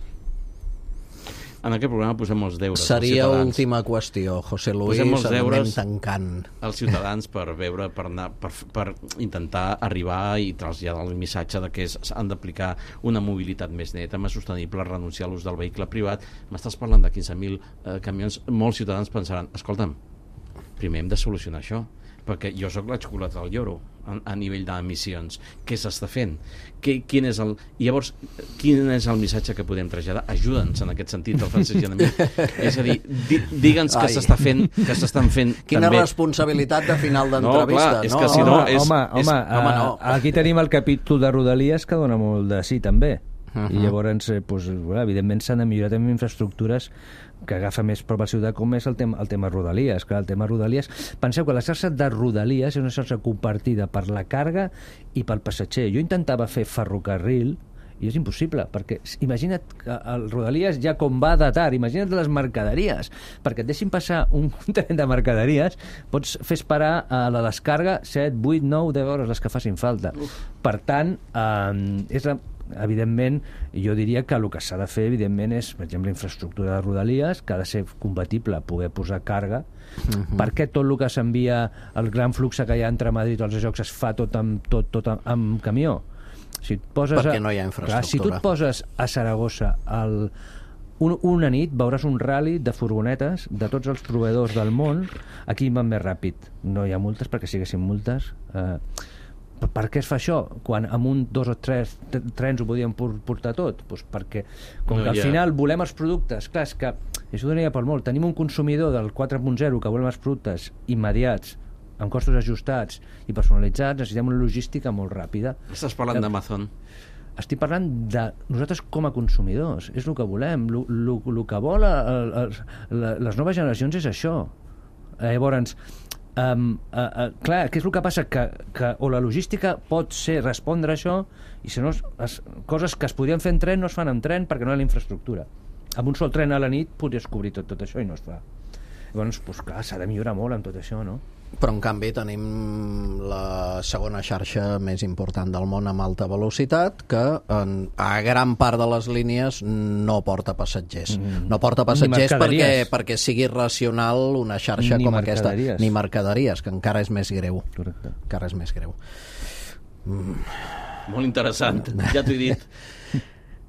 En aquest programa posem els deures Seria als ciutadans. Última qüestió, José Luis, posem els deures tancant. als ciutadans per veure, per, anar, per, per intentar arribar i traslladar el missatge de que s'han d'aplicar una mobilitat més neta, més sostenible, renunciar a l'ús del vehicle privat. M'estàs parlant de quinze mil eh, camions. Molts ciutadans pensaran, escolta'm, primer hem de solucionar això, perquè jo sóc la xocolata del lloro a, a nivell d'emissions. Què s'està fent? Que, quin és el... Llavors, quin és el missatge que podem traslladar? Ajuda'ns en aquest sentit, el Francesc i a mi. És a dir, di, digue'ns que s'està fent, que s'estan fent Quina també... responsabilitat de final d'entrevista. No, clar, és no? que si no... És, home, és, home, home no. aquí tenim el capítol de Rodalies que dona molt de sí, també. Uh -huh. I llavors, eh, pues, bueno, evidentment s'han de millorar també infraestructures que agafa més prop al ciutadà com és el tema, el tema Rodalies. Clar, el tema Rodalies... Penseu que la xarxa de Rodalies és una xarxa compartida per la càrrega i pel passatger. Jo intentava fer ferrocarril i és impossible, perquè imagina't que el Rodalies ja com va de tard, imagina't les mercaderies, perquè et deixin passar un tren de mercaderies, pots fer esperar a la descàrrega set, vuit, nou, deu hores, les que facin falta. Uf. Per tant, eh, és la... evidentment, jo diria que el que s'ha de fer, evidentment, és, per exemple, infraestructura de Rodalies, que ha de ser compatible poder posar càrrega. Uh-huh. Per què tot el que s'envia, el gran flux que hi ha entre Madrid i els jocs es fa tot amb, tot, tot amb, amb camió? Si et poses Perquè a, no hi ha infraestructura. Clar, si tu et poses a Saragossa el, un, una nit, veuràs un rally de furgonetes de tots els proveïdors del món. Aquí van més ràpid. No hi ha multes, perquè si haguessin multes... Eh, per què es fa això? Quan amb un, dos o tres trens ho podíem portar tot? Pues perquè, com no, que al ja. final volem els productes, clar, és que això donaria per molt. Tenim un consumidor del quatre punt zero que volem els productes immediats, amb costos ajustats i personalitzats, necessitem una logística molt ràpida. Estàs parlant d'Amazon? Estic parlant de nosaltres com a consumidors, és el que volem, el que vol el, el, les noves generacions és això. Eh, llavors, Um, uh, uh, clar, què és el que passa? Que, que o la logística pot ser respondre a això, i si no, les coses que es podien fer en tren no es fan en tren perquè no hi ha la infraestructura. Amb un sol tren a la nit podries cobrir tot, tot això i no es fa. Llavors, pues, clar, s'ha de millorar molt amb tot això, no? Però, en canvi, tenim la segona xarxa més important del món amb alta velocitat, que en, a gran part de les línies no porta passatgers. Mm. No porta passatgers perquè, perquè sigui racional una xarxa ni com aquesta. Ni mercaderies, que encara és més greu. Correcte. Encara és més greu. Mm. Molt interessant, ja t'ho he dit.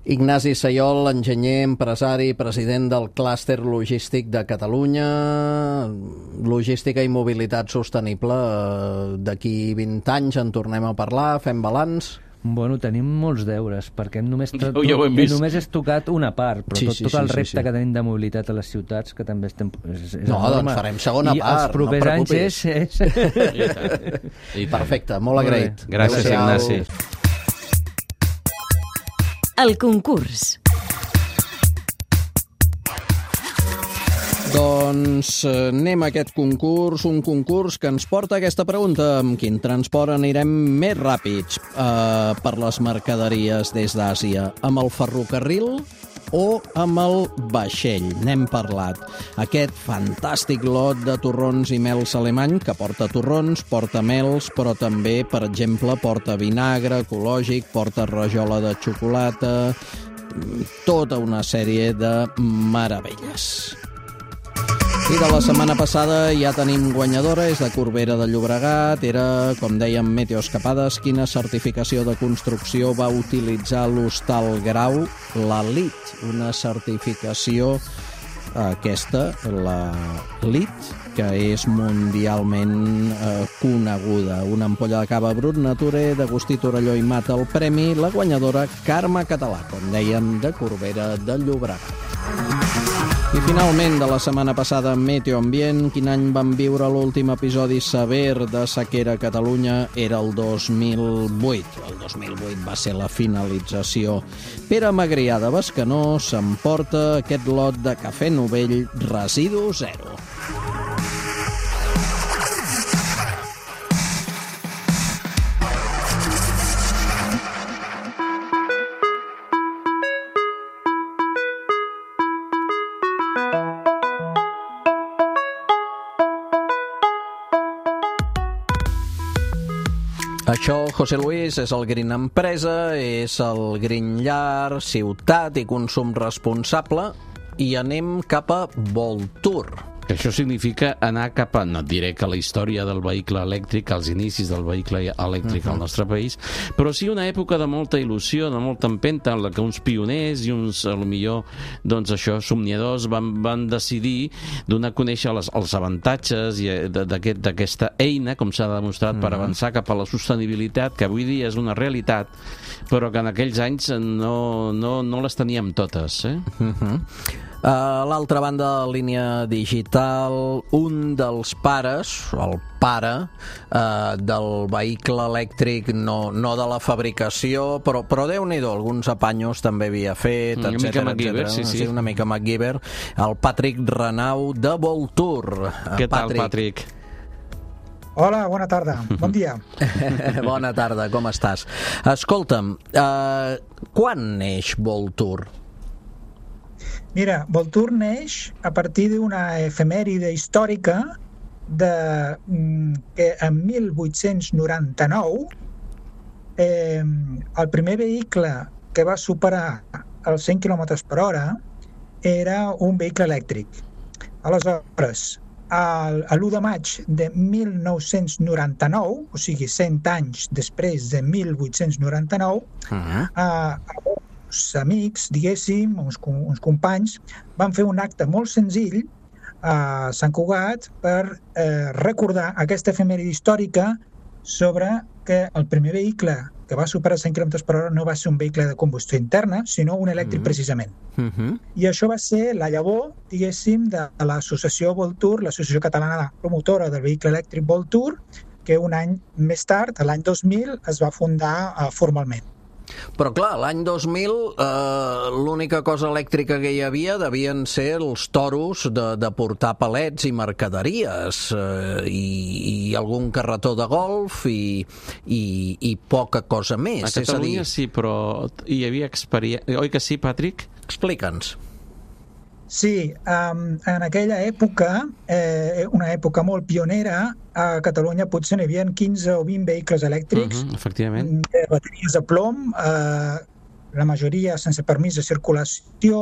Ignasi Sayol, enginyer, empresari, president del clúster logístic de Catalunya. Logística i mobilitat sostenible. D'aquí vint anys en tornem a parlar, fem balanç. Bueno, tenim molts deures, perquè només, ja, ja només és tocat una part, però sí, tot, tot sí, el repte sí, sí. que tenim de mobilitat a les ciutats, que també estem... És, és no, enorme. Doncs farem segona I part, els propers no anys és... és... Perfecte, molt agraït. Gràcies, Ignasi. El concurs. Doncs anem a aquest concurs, un concurs que ens porta a aquesta pregunta: amb quin transport anirem més ràpids uh, per les mercaderies des d'Àsia? Amb el ferrocarril o amb el vaixell? N'hem parlat. Aquest fantàstic lot de torrons i mels alemany, que porta torrons, porta mels, però també, per exemple, porta vinagre ecològic, porta rajola de xocolata, tota una sèrie de meravelles. I de la setmana passada ja tenim guanyadora, és de Corbera de Llobregat, era, com dèiem, Meteoescapades. Quina certificació de construcció va utilitzar l'Hostal Grau? La L I T, una certificació, aquesta, la L I T, que és mundialment eh, coneguda. Una ampolla de cava Brut Nature d'Agustí Torelló i Mata el premi, la guanyadora Carme Català, com dèiem, de Corbera de Llobregat. I finalment, de la setmana passada, Meteo Ambient, quin any vam viure l'últim episodi sever de sequera a Catalunya? Era el dos mil vuit. El dos mil vuit va ser la finalització. Pere Magrià de Bescanó s'emporta aquest lot de cafè Novell Residu Zero. Això, José Luis, és el Green Empresa, és el Green Llar, ciutat i consum responsable, i anem cap a Voltur. Això significa anar cap a, no et diré que la història del vehicle elèctric, els inicis del vehicle elèctric uh-huh. al nostre país, però sí una època de molta il·lusió, de molta empenta, en la que uns pioners i uns, potser, doncs això, somniadors van, van decidir donar a conèixer les, els avantatges d'aquest, d'aquesta eina, com s'ha demostrat, uh-huh. per avançar cap a la sostenibilitat, que avui dia és una realitat, però que en aquells anys no, no, no les teníem totes. Eh? Uh-huh. A l'altra banda, línia digital, documental un dels pares, el pare eh, del vehicle elèctric, no, no de la fabricació, però, però Déu-n'hi-do, alguns apanyos també havia fet, una etcètera, mica MacGyver, sí, sí. sí, una mica MacGyver, el Patrick Renau de Voltur. Què tal, Patrick? Hola, bona tarda, bon dia. Bona tarda, com estàs? Escolta'm, eh, quan neix Voltur? Mira, Voltur neix a partir d'una efemèride històrica de, que en mil vuit-cents noranta-nou eh, el primer vehicle que va superar els cent quilòmetres per hora era un vehicle elèctric. Aleshores, l'u de maig de mil nou-cents noranta-nou, o sigui, cent anys després de mil vuit-cents noranta-nou, uh-huh. eh, uns amics, diguéssim, uns, uns companys, van fer un acte molt senzill a Sant Cugat per eh, recordar aquesta efemèride històrica sobre que el primer vehicle que va superar cent quilòmetres per hora no va ser un vehicle de combustió interna, sinó un elèctric, mm-hmm. precisament. Mm-hmm. I això va ser la llavor, diguéssim, de l'associació Voltur, l'associació catalana promotora del vehicle elèctric Voltur, que un any més tard, l'any dos mil, es va fundar uh, formalment. Però clar, l'any dos mil eh, l'única cosa elèctrica que hi havia devien ser els toros de, de portar palets i mercaderies eh, i, i algun carretó de golf i, i, i poca cosa més. A Catalunya és a dir... sí, però hi havia experiència... Oi que sí, Patrick? Explica'ns. Sí, um, en aquella època, eh, una època molt pionera, a Catalunya potser n'hi havia quinze o vint vehicles elèctrics, uh-huh, efectivament. Eh, bateries de plom, eh, la majoria sense permís de circulació,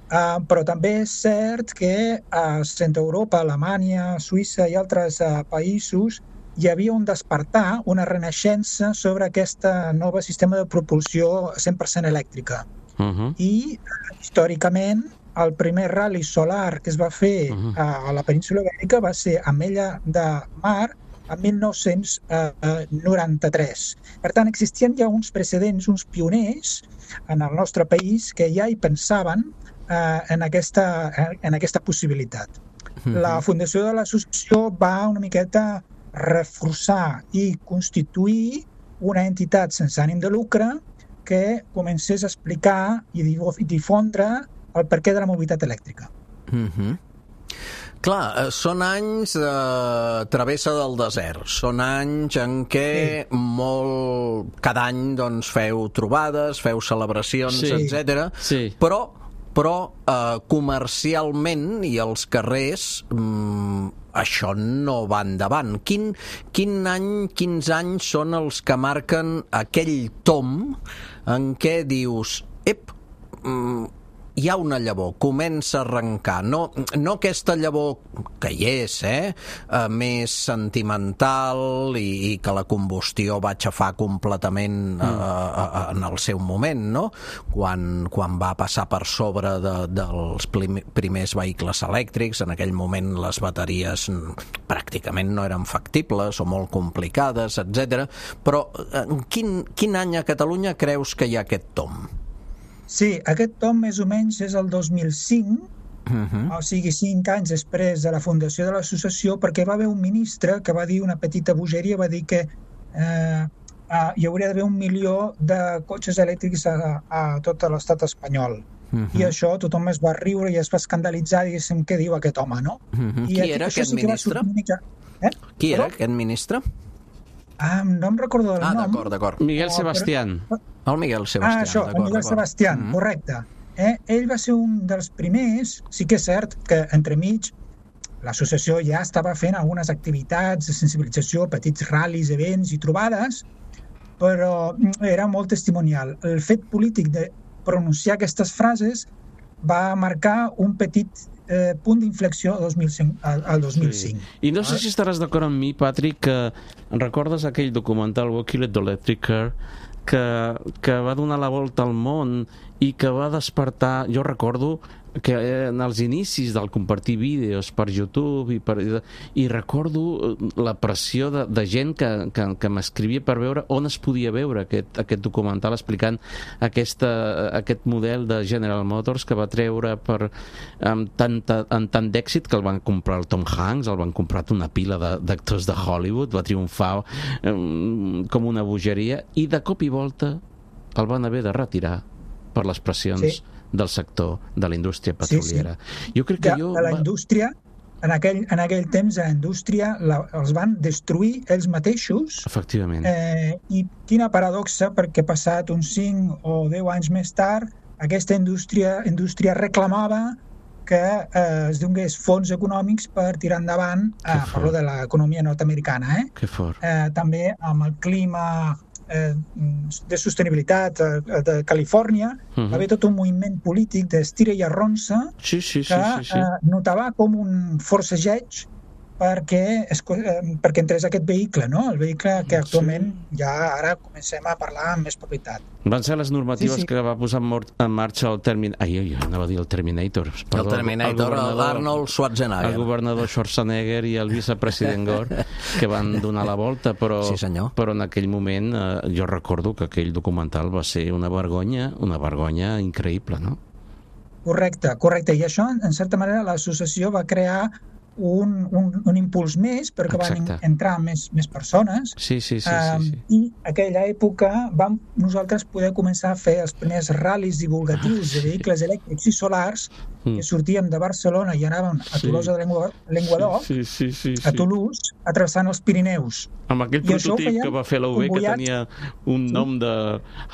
eh, però també és cert que a Centre Europa, Alemanya, Suïssa i altres eh, països hi havia un despertar, una renaixença sobre aquest nou sistema de propulsió cent per cent elèctrica. Uh-huh. I, històricament, el primer ral·li solar que es va fer uh-huh. a la península Ibèrica va ser a Mella de Mar en mil nou-cents noranta-tres. Per tant, existien ja uns precedents, uns pioners en el nostre país que ja hi pensaven eh, en, aquesta, en aquesta possibilitat. Uh-huh. La fundació de l'associació va una miqueta reforçar i constituir una entitat sense ànim de lucre que comencés a explicar i difondre el perquè de la mobilitat elèctrica. Mm-hmm. Clar, són anys de travessa del desert, són anys en què sí. molt, cada any doncs, feu trobades, feu celebracions, sí. etcètera. Sí. Però, però eh, comercialment i als carrers mm, això no va endavant. Quin, quin any, quins anys són els que marquen aquell tom en què dius, ep, mm, hi ha una llavor, comença a arrencar. No, no aquesta llavor que hi és, eh? eh més sentimental i, i que la combustió va aixafar completament eh, eh, en el seu moment, no? Quan, quan va passar per sobre de, dels primers vehicles elèctrics, en aquell moment les bateries pràcticament no eren factibles o molt complicades, etcètera. Però en quin, quin any a Catalunya creus que hi ha aquest tom? Sí, aquest tom més o menys és el dos mil cinc, uh-huh. o sigui, cinc anys després de la fundació de l'associació, perquè va haver un ministre que va dir una petita bogeria, va dir que eh, eh, hi hauria d'haver un milió de cotxes elèctrics a, a tot l'estat espanyol. Uh-huh. I això tothom es va riure i es va escandalitzar, diguéssim, què diu aquest home, no? Uh-huh. I Qui era aquest sí ministre? Mica... Eh? Qui era aquest ministre? Ah, no em recordo el ah, nom. Ah, d'acord, d'acord. Miguel Sebastián. Però... El Miguel Sebastián. Ah, això, el Miguel Sebastián, mm-hmm. correcte. Eh? Ell va ser un dels primers, sí que és cert que entremig l'associació ja estava fent algunes activitats de sensibilització, petits ral·lis, events i trobades, però era molt testimonial. El fet polític de pronunciar aquestes frases va marcar un petit eh, punt d'inflexió al dos mil cinc. Al dos mil cinc. Sí. I no sé si estaràs d'acord amb mi, Patrick, que recordes aquell documental Walking the Electric Car que, que va donar la volta al món i que va despertar, jo recordo que en els inicis del compartir vídeos per YouTube i, per, i recordo la pressió de, de gent que, que, que m'escrivia per veure on es podia veure aquest, aquest documental explicant aquesta, aquest model de General Motors que va treure per, amb, tanta, amb tant d'èxit que el van comprar el Tom Hanks, el van comprar una pila d'actors de, de Hollywood, va triomfar um, com una bogeria i de cop i volta el van haver de retirar per les pressions sí. del sector de la indústria petroliera. Sí, sí. Jo crec que de, jo... De la indústria, en aquell, en aquell temps, la indústria la, els van destruir ells mateixos. Efectivament. Eh, I quina paradoxa, perquè passat uns cinc o deu anys més tard, aquesta indústria, indústria reclamava que eh, es donés fons econòmics per tirar endavant, eh, parlo de l'economia nord-americana, eh? Que fort. Eh, també amb el clima eh, de sostenibilitat eh, de Califòrnia, uh-huh. va haver tot un moviment polític d'estira i arronsa sí, sí, sí, que sí, sí. Eh, notava com un forcejeig perquè, es, eh, perquè entrés aquest vehicle, no? El vehicle que actualment sí. ja ara comencem a parlar amb més propietat. Van ser les normatives sí, sí. que va posar en marxa el Terminator. Ai, ai, anava a dir el Terminator. Perdó, el Terminator, l'Arnold Schwarzenegger. El governador Schwarzenegger i el vicepresident Gore, que van donar la volta, però, sí, però en aquell moment eh, jo recordo que aquell documental va ser una vergonya, una vergonya increïble, no? Correcte, correcte. I això, en certa manera, l'associació va crear Un, un, un impuls més perquè Exacte. Van entrar més, més persones sí, sí, sí, um, sí, sí. i aquella època vam nosaltres poder començar a fer els primers ral·lis divulgatius de vehicles elèctrics i solars mm. que sortíem de Barcelona i anàvem a Tolosa de Llenguadoc, sí, sí, sí, sí, sí. a Toulouse, atravessant els Pirineus. Amb aquell I prototip que va fer la U B que tenia un sí. nom de...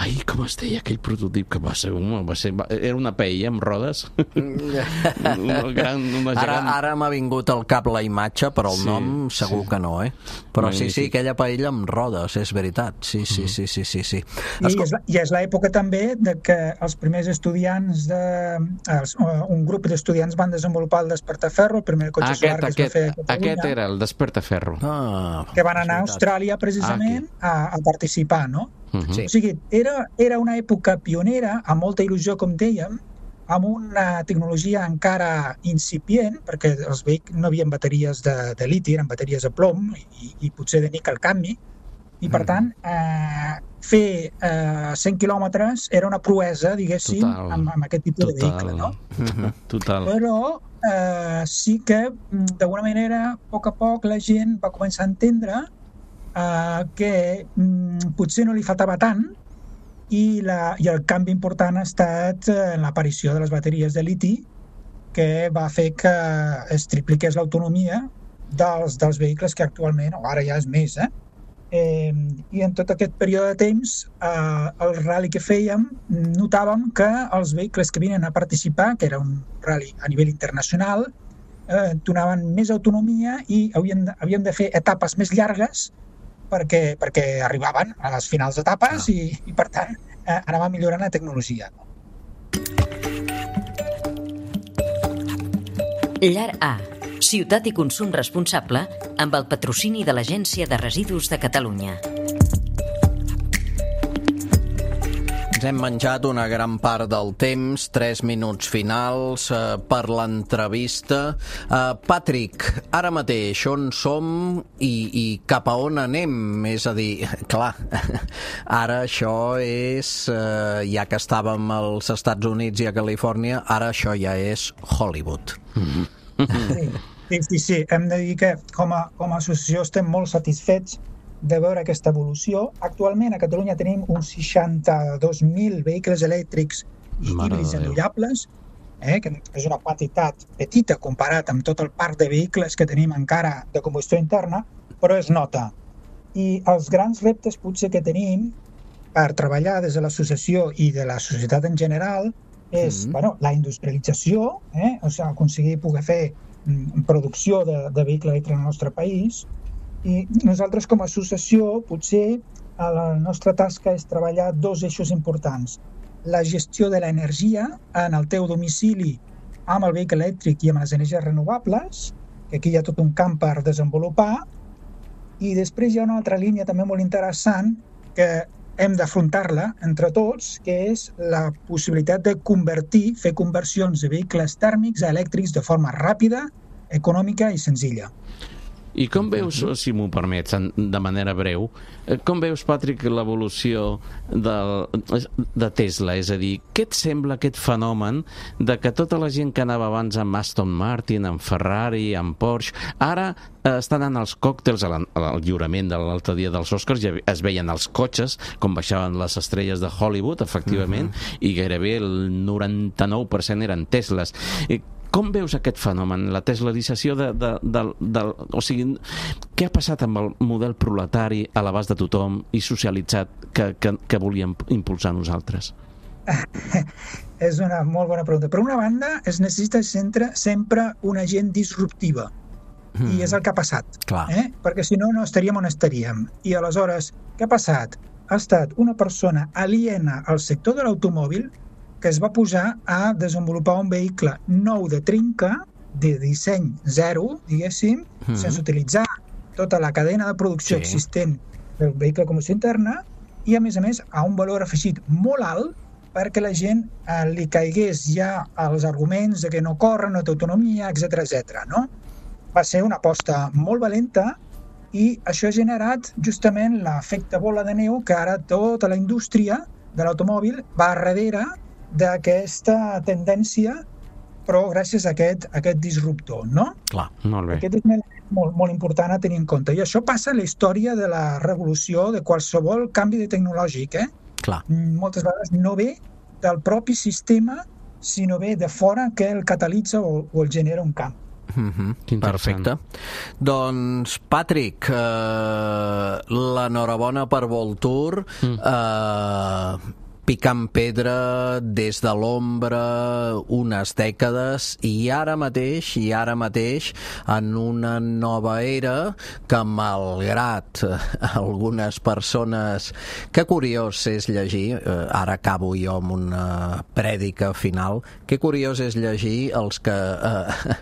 Ai, com es deia aquell prototip que va ser... Va ser... Era una paella amb rodes. una gran, una ara ara m'ha vingut al cap la imatge, però el sí, nom segur sí. que no, eh? Però Magnífic. sí, sí, aquella paella amb rodes, és veritat. Sí, sí, sí, sí, sí, sí. I és, I és l'època també de que els primers estudiants de... Els, un grup d'estudiants van desenvolupar el Despertaferro, el primer cotxe aquest, solar que aquest, es va fer a Catalunya. Aquest era el Despertaferro. Ah, que van anar a Austràlia precisament ah, a, a participar, no? Uh-huh. Sí. O sigui, era, era una època pionera, amb molta il·lusió, com dèiem, amb una tecnologia encara incipient, perquè els vehicles no havien bateries de, de liti, eren bateries de plom i, i potser de níquel cadmi, i per tant eh, fer eh, cent quilòmetres era una proesa, diguéssim, amb, amb aquest tipus Total. de vehicle, no? Total. Però eh, sí que d'alguna manera, a poc a poc, la gent va començar a entendre eh, que mm, potser no li faltava tant i, la, i el canvi important ha estat eh, l'aparició de les bateries de liti, que va fer que es tripliqués l'autonomia dels, dels vehicles que actualment, o ara ja és més, eh? Eh, i en tot aquest període de temps eh, el rally que fèiem notàvem que els vehicles que vinen a participar, que era un rally a nivell internacional, eh, donaven més autonomia i havien de, havien de fer etapes més llargues perquè, perquè arribaven a les finals d'etapes ah. i, i per tant eh, anava millorant la tecnologia. Llar A, ciutat i consum responsable, amb el patrocini de l'Agència de Residus de Catalunya. Ens hem menjat una gran part del temps, tres minuts finals eh, per l'entrevista. Eh, Patrick, ara mateix on som i, i cap a on anem? És a dir, clar, ara això és, eh, ja que estàvem als Estats Units i a Califòrnia, ara això ja és Hollywood. Sí, sí, sí, sí. Hem de dir que com a, com a associació estem molt satisfets de veure aquesta evolució. Actualment a Catalunya tenim uns seixanta-dos mil vehicles elèctrics i híbrids endollables, eh, que és una quantitat petita comparat amb tot el parc de vehicles que tenim encara de combustió interna, però es nota. I els grans reptes potser que tenim per treballar des de l'associació i de la societat en general és mm-hmm. bueno, la industrialització, eh, o sigui, aconseguir poder fer mm, producció de, de vehicle elèctric en el nostre país. I nosaltres com a associació potser la nostra tasca és treballar dos eixos importants. La gestió de l'energia en el teu domicili amb el vehicle elèctric i amb les energies renovables, que aquí hi ha tot un camp per desenvolupar, i després hi ha una altra línia també molt interessant que hem d'afrontar-la entre tots, que és la possibilitat de convertir, fer conversions de vehicles tèrmics a elèctrics de forma ràpida, econòmica i senzilla. I com veus, si m'ho permets, de manera breu, com veus, Patrick, l'evolució de, de Tesla? És a dir, què et sembla aquest fenomen de que tota la gent que anava abans amb Aston Martin, amb Ferrari, amb Porsche, ara eh, estan anant als còctels, al lliurament de l'altre dia dels Oscars, ja es veien els cotxes, com baixaven les estrelles de Hollywood, efectivament, uh-huh. i gairebé el noranta-nou per cent eren Tesles. Com veus aquest fenomen, la teslarització de, de, de, de... O sigui, què ha passat amb el model proletari a l'abast de tothom i socialitzat que, que, que volíem impulsar nosaltres? És una molt bona pregunta. Per una banda, es necessita sempre, sempre una gent disruptiva. Mm. I és el que ha passat. Clar. Eh? Perquè si no, no estaríem on estaríem. I aleshores, què ha passat? Ha estat una persona aliena al sector de l'automòbil que es va posar a desenvolupar un vehicle nou de trinca, de disseny zero, diguéssim, mm. sense utilitzar tota la cadena de producció sí. existent del vehicle de combustió interna i, a més a més, a un valor afegit molt alt perquè la gent eh, li caigués ja als arguments de que no corre, no té autonomia, etcètera, etcètera, no? Va ser una aposta molt valenta i això ha generat justament l'efecte bola de neu que ara tota la indústria de l'automòbil va darrere d'aquesta tendència, però gràcies a aquest, a aquest disruptor, no? Clar, molt bé. Aquest és molt, molt important a tenir en compte. I això passa a la història de la revolució de qualsevol canvi de tecnològic, eh? Clar. Moltes vegades no ve del propi sistema, sinó ve de fora que el catalitza o, o el genera un camp. Mm-hmm. Perfecte. Doncs, Patrick, eh, l'enhorabona per Voltur. Mm. Eh, picant pedra des de l'ombra unes dècades i ara mateix, i ara mateix en una nova era que malgrat algunes persones, que curiós és llegir, ara acabo jo amb una prèdica final, que curiós és llegir els que eh,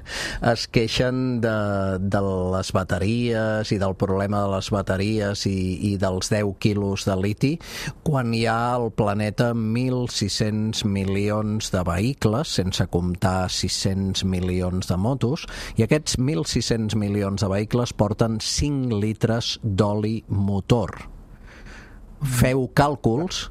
es queixen de, de les bateries i del problema de les bateries i, i dels deu quilos de liti, quan hi ha al planeta mil sis-cents milions de vehicles, sense comptar sis-cents milions de motos, i aquests mil sis-cents milions de vehicles porten cinc litres d'oli motor. Feu càlculs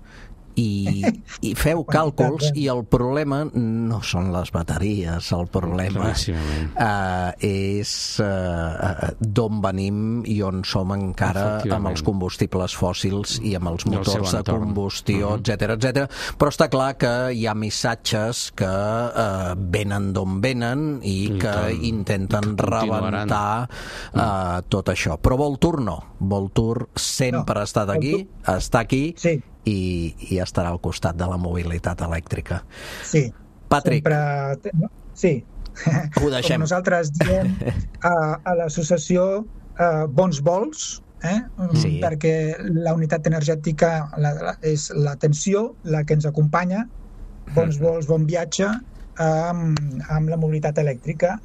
i, i feu càlculs i el problema no són les bateries, el problema uh, és uh, d'on venim i on som encara amb els combustibles fòssils i amb els motors de combustió, uh-huh. etcètera, etcètera. Però està clar que hi ha missatges que uh, venen d'on venen i, I que tant. intenten que rebentar uh, tot això. Però Voltur no. Voltur sempre no. ha estat aquí, està aquí, sí. I, i estarà al costat de la mobilitat elèctrica. Sí. Patrick. Sempre... Sí. Ho deixem. Com nosaltres diem a, a l'associació eh, Bons Vols, eh? sí. perquè la unitat energètica la, la, és la tensió, la que ens acompanya. Bons vols, bon viatge amb, amb la mobilitat elèctrica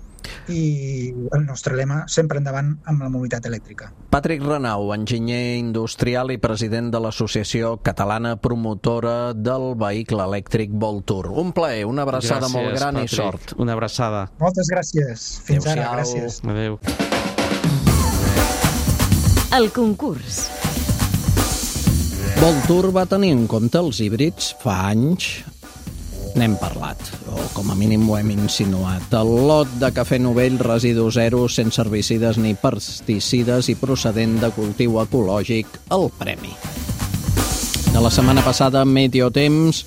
i el nostre lema sempre endavant amb la mobilitat elèctrica. Patrick Renau, enginyer industrial i president de l'Associació Catalana Promotora del Vehicle Elèctric Voltur. Un plaer, una abraçada gràcies, molt gran, Patrick. I sort. Una abraçada. Moltes gràcies. Fins Adéu-siau. Ara, gràcies. Adéu. El concurs. Voltur va tenir en compte els híbrids fa anys. N'hem parlat, o com a mínim ho hem insinuat. El lot de cafè Novell, residu zero, sense herbicides ni pesticides i procedent de cultiu ecològic, el premi. De la setmana passada, Meteotemps,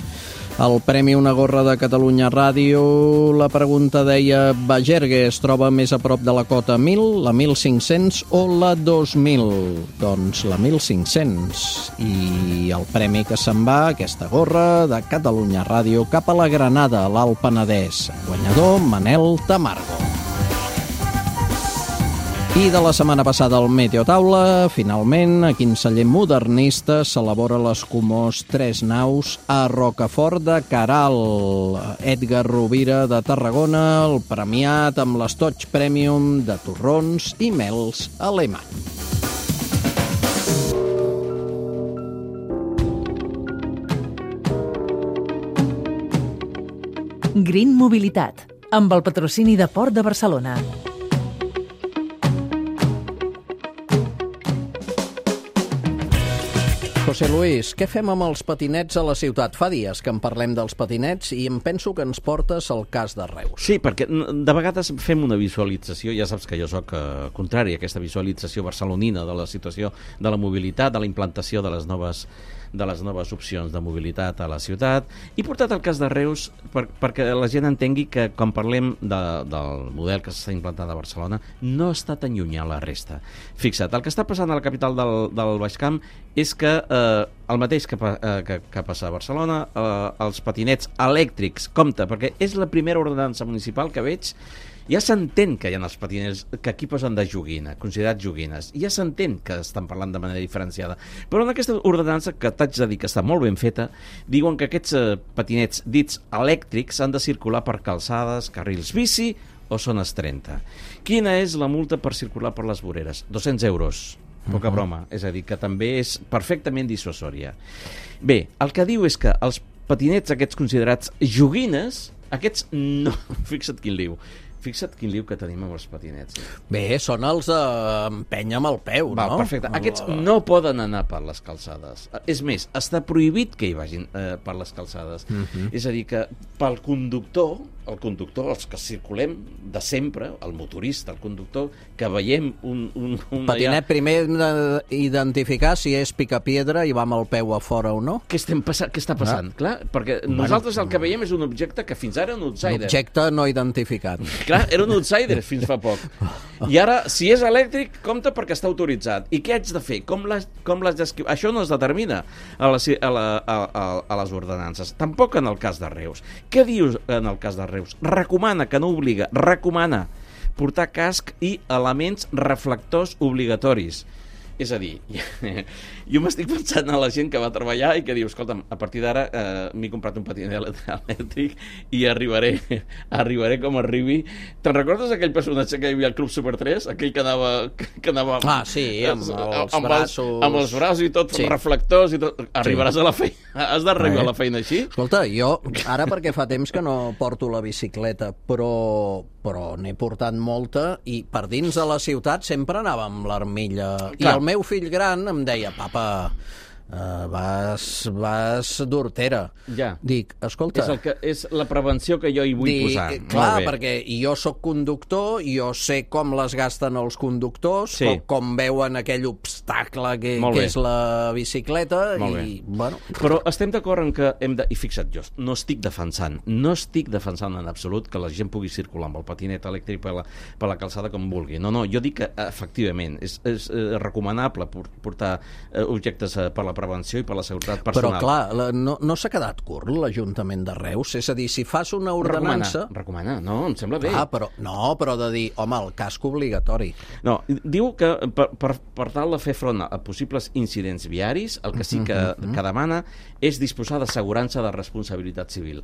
el premi Una gorra de Catalunya Ràdio, la pregunta deia: Bagergue es troba més a prop de la cota mil, la mil cinc-cents o la dos mil? Doncs la mil cinc-cents. I el premi que se'n va, aquesta gorra de Catalunya Ràdio, cap a la Granada, a l'Alt Penedès. Guanyador, Manel Tamargo. I de la setmana passada al Meteotaula, finalment, a quin celler modernista s'elabora l'escumós Tres Naus a Rocafort de Caral. Edgar Rovira de Tarragona, el premiat amb l'estoig Premium de torrons i mels alemany. Green Mobilitat, amb el patrocini de Port de Barcelona. José Luis, què fem amb els patinets a la ciutat? Fa dies que en parlem dels patinets i em penso que ens portes al cas de Reus. Sí, perquè de vegades fem una visualització, ja saps que jo sóc eh, contrari a aquesta visualització barcelonina de la situació de la mobilitat, de la implantació de les noves de les noves opcions de mobilitat a la ciutat, i portat el cas de Reus per, perquè la gent entengui que quan parlem de, del model que s'està implantant a Barcelona no està tan lluny a la resta. Fixa't, el que està passant a la capital del, del Baix Camp és que eh, el mateix que, eh, que, que passa a Barcelona, eh, els patinets elèctrics, compte, perquè és la primera ordenança municipal que veig. Ja s'entén que hi ha els patinets que aquí posen de joguina, considerats joguines. Ja s'entén que estan parlant de manera diferenciada. Però en aquesta ordenança, que t'haig de dir que està molt ben feta, diuen que aquests eh, patinets dits elèctrics han de circular per calçades, carrils bici o zones trenta. Quina és la multa per circular per les voreres? dos-cents euros. Poca uh-huh. broma. És a dir, que també és perfectament dissuasòria. Bé, el que diu és que els patinets aquests considerats joguines, aquests no... Fixa't quin liu. Fixa't quin liu que tenim amb els patinets. Bé, són els d'empènyer amb el peu, Va, no? Perfecte. Aquests no poden anar per les calçades. És més, està prohibit que hi vagin eh, per les calçades. Uh-huh. És a dir, que pel conductor, el conductor, els que circulem de sempre, el motorista, el conductor, que veiem un... un, un Patinet, allà... primer identificar si és picapiedra i va amb el peu a fora o no. Què, estem passa... Què està passant? Ah. Clar, perquè bueno, nosaltres el que veiem és un objecte que fins ara era un outsider. Un objecte no identificat. Clar, era un outsider fins fa poc. I ara, si és elèctric, compta perquè està autoritzat. I què haig de fer? Com l'has d'escriure? Això no es determina a, la, a, la, a, a, a les ordenances. Tampoc en el cas de Reus. Què dius en el cas de Reus? Recomana, que no obliga, recomana portar casc i elements reflectors obligatoris. És a dir, jo m'estic pensant a la gent que va treballar i que diu, escolta'm, a partir d'ara eh, m'he comprat un patinet elèctric i arribaré, arribaré com arribi. Te'n recordes aquell personatge que hi havia al Club Super tres? Aquell que anava... Que anava ah, sí, amb els amb braços... Els, amb els braços i tot, sí. reflectors i tot. Arribaràs sí. a la feina, has d'arribar eh. a la feina així? Escolta, jo, ara perquè fa temps que no porto la bicicleta, però, però n'he portat molta i per dins de la ciutat sempre anava amb l'armilla. I el meu fill gran em deia, papa, uh, vas, vas d'hortera. Ja. Dic, escolta... És, el que, és la prevenció que jo hi vull dic, posar. Clar, perquè jo sóc conductor, jo sé com les gasten els conductors, sí. com, com veuen aquell obstacle que, que és la bicicleta, Molt i, bé. bueno... Però estem d'acord en que hem de... I fixa't, jo no estic defensant, no estic defensant en absolut que la gent pugui circular amb el patinet elèctric per la, per la calçada com vulgui. No, no, jo dic que, efectivament, és, és eh, recomanable portar eh, objectes eh, per la prevenció i per la seguretat personal. Però, clar, la, no, no s'ha quedat curt l'Ajuntament de Reus? És a dir, si fas una ordenança... Recomana, recomana. No, em sembla bé. Ah, però, no, però de dir, home, el casc obligatori. No, diu que per, per, per tal de fer front a possibles incidents viaris, el que sí que, uh-huh. que demana és disposar d'assegurança de responsabilitat civil.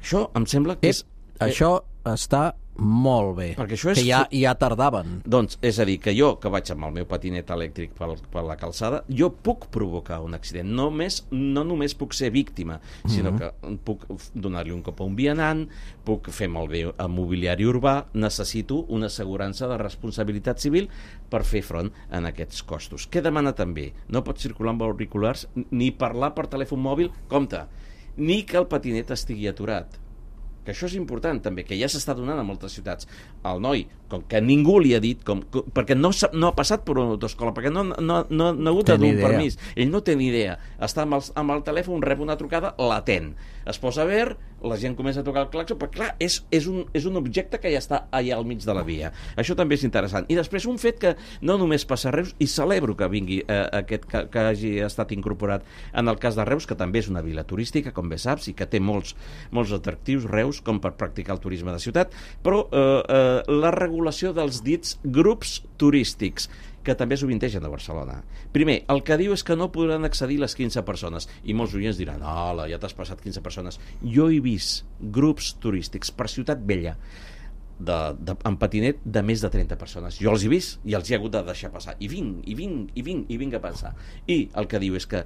Això em sembla que és... és... Això està molt bé, perquè això és... que ja, ja tardaven. Doncs, és a dir, que jo, que vaig amb el meu patinet elèctric per, per la calçada, jo puc provocar un accident. No, més, no només puc ser víctima, sinó uh-huh. que puc donar-li un cop a un vianant, puc fer malbé a mobiliari urbà, necessito una assegurança de responsabilitat civil per fer front en aquests costos. Què demana també? No pots circular amb auriculars ni parlar per telèfon mòbil, compte, ni que el patinet estigui aturat. Que això és important també, que ja s'està donant a moltes ciutats. El noi, com que ningú li ha dit, com, com, perquè no, no ha passat per una autoescola, perquè no, no, no, no ha hagut de dur un permís, ell no té ni idea, està amb el, amb el telèfon, rep una trucada, l'atén, es posa a veure, la gent comença a tocar el claxon, però clar, és, és, un, és un objecte que ja està allà al mig de la via. Això també és interessant. I després un fet que no només passa a Reus, i celebro que vingui eh, aquest, que, que hagi estat incorporat en el cas de Reus, que també és una vila turística, com bé saps, i que té molts, molts atractius, Reus, com per practicar el turisme de ciutat, però eh, eh, la regulació dels dits grups turístics, que també sovintegen a Barcelona. Primer, el que diu és que no podran accedir les quinze persones, i molts oients diran, hola, ja t'has passat quinze persones. Jo he vist grups turístics per Ciutat Vella, de, de, en patinet, de més de trenta persones. Jo els he vist i els he hagut de deixar passar. I vinc, i vinc, i vinc, i vinc a passar. I el que diu és que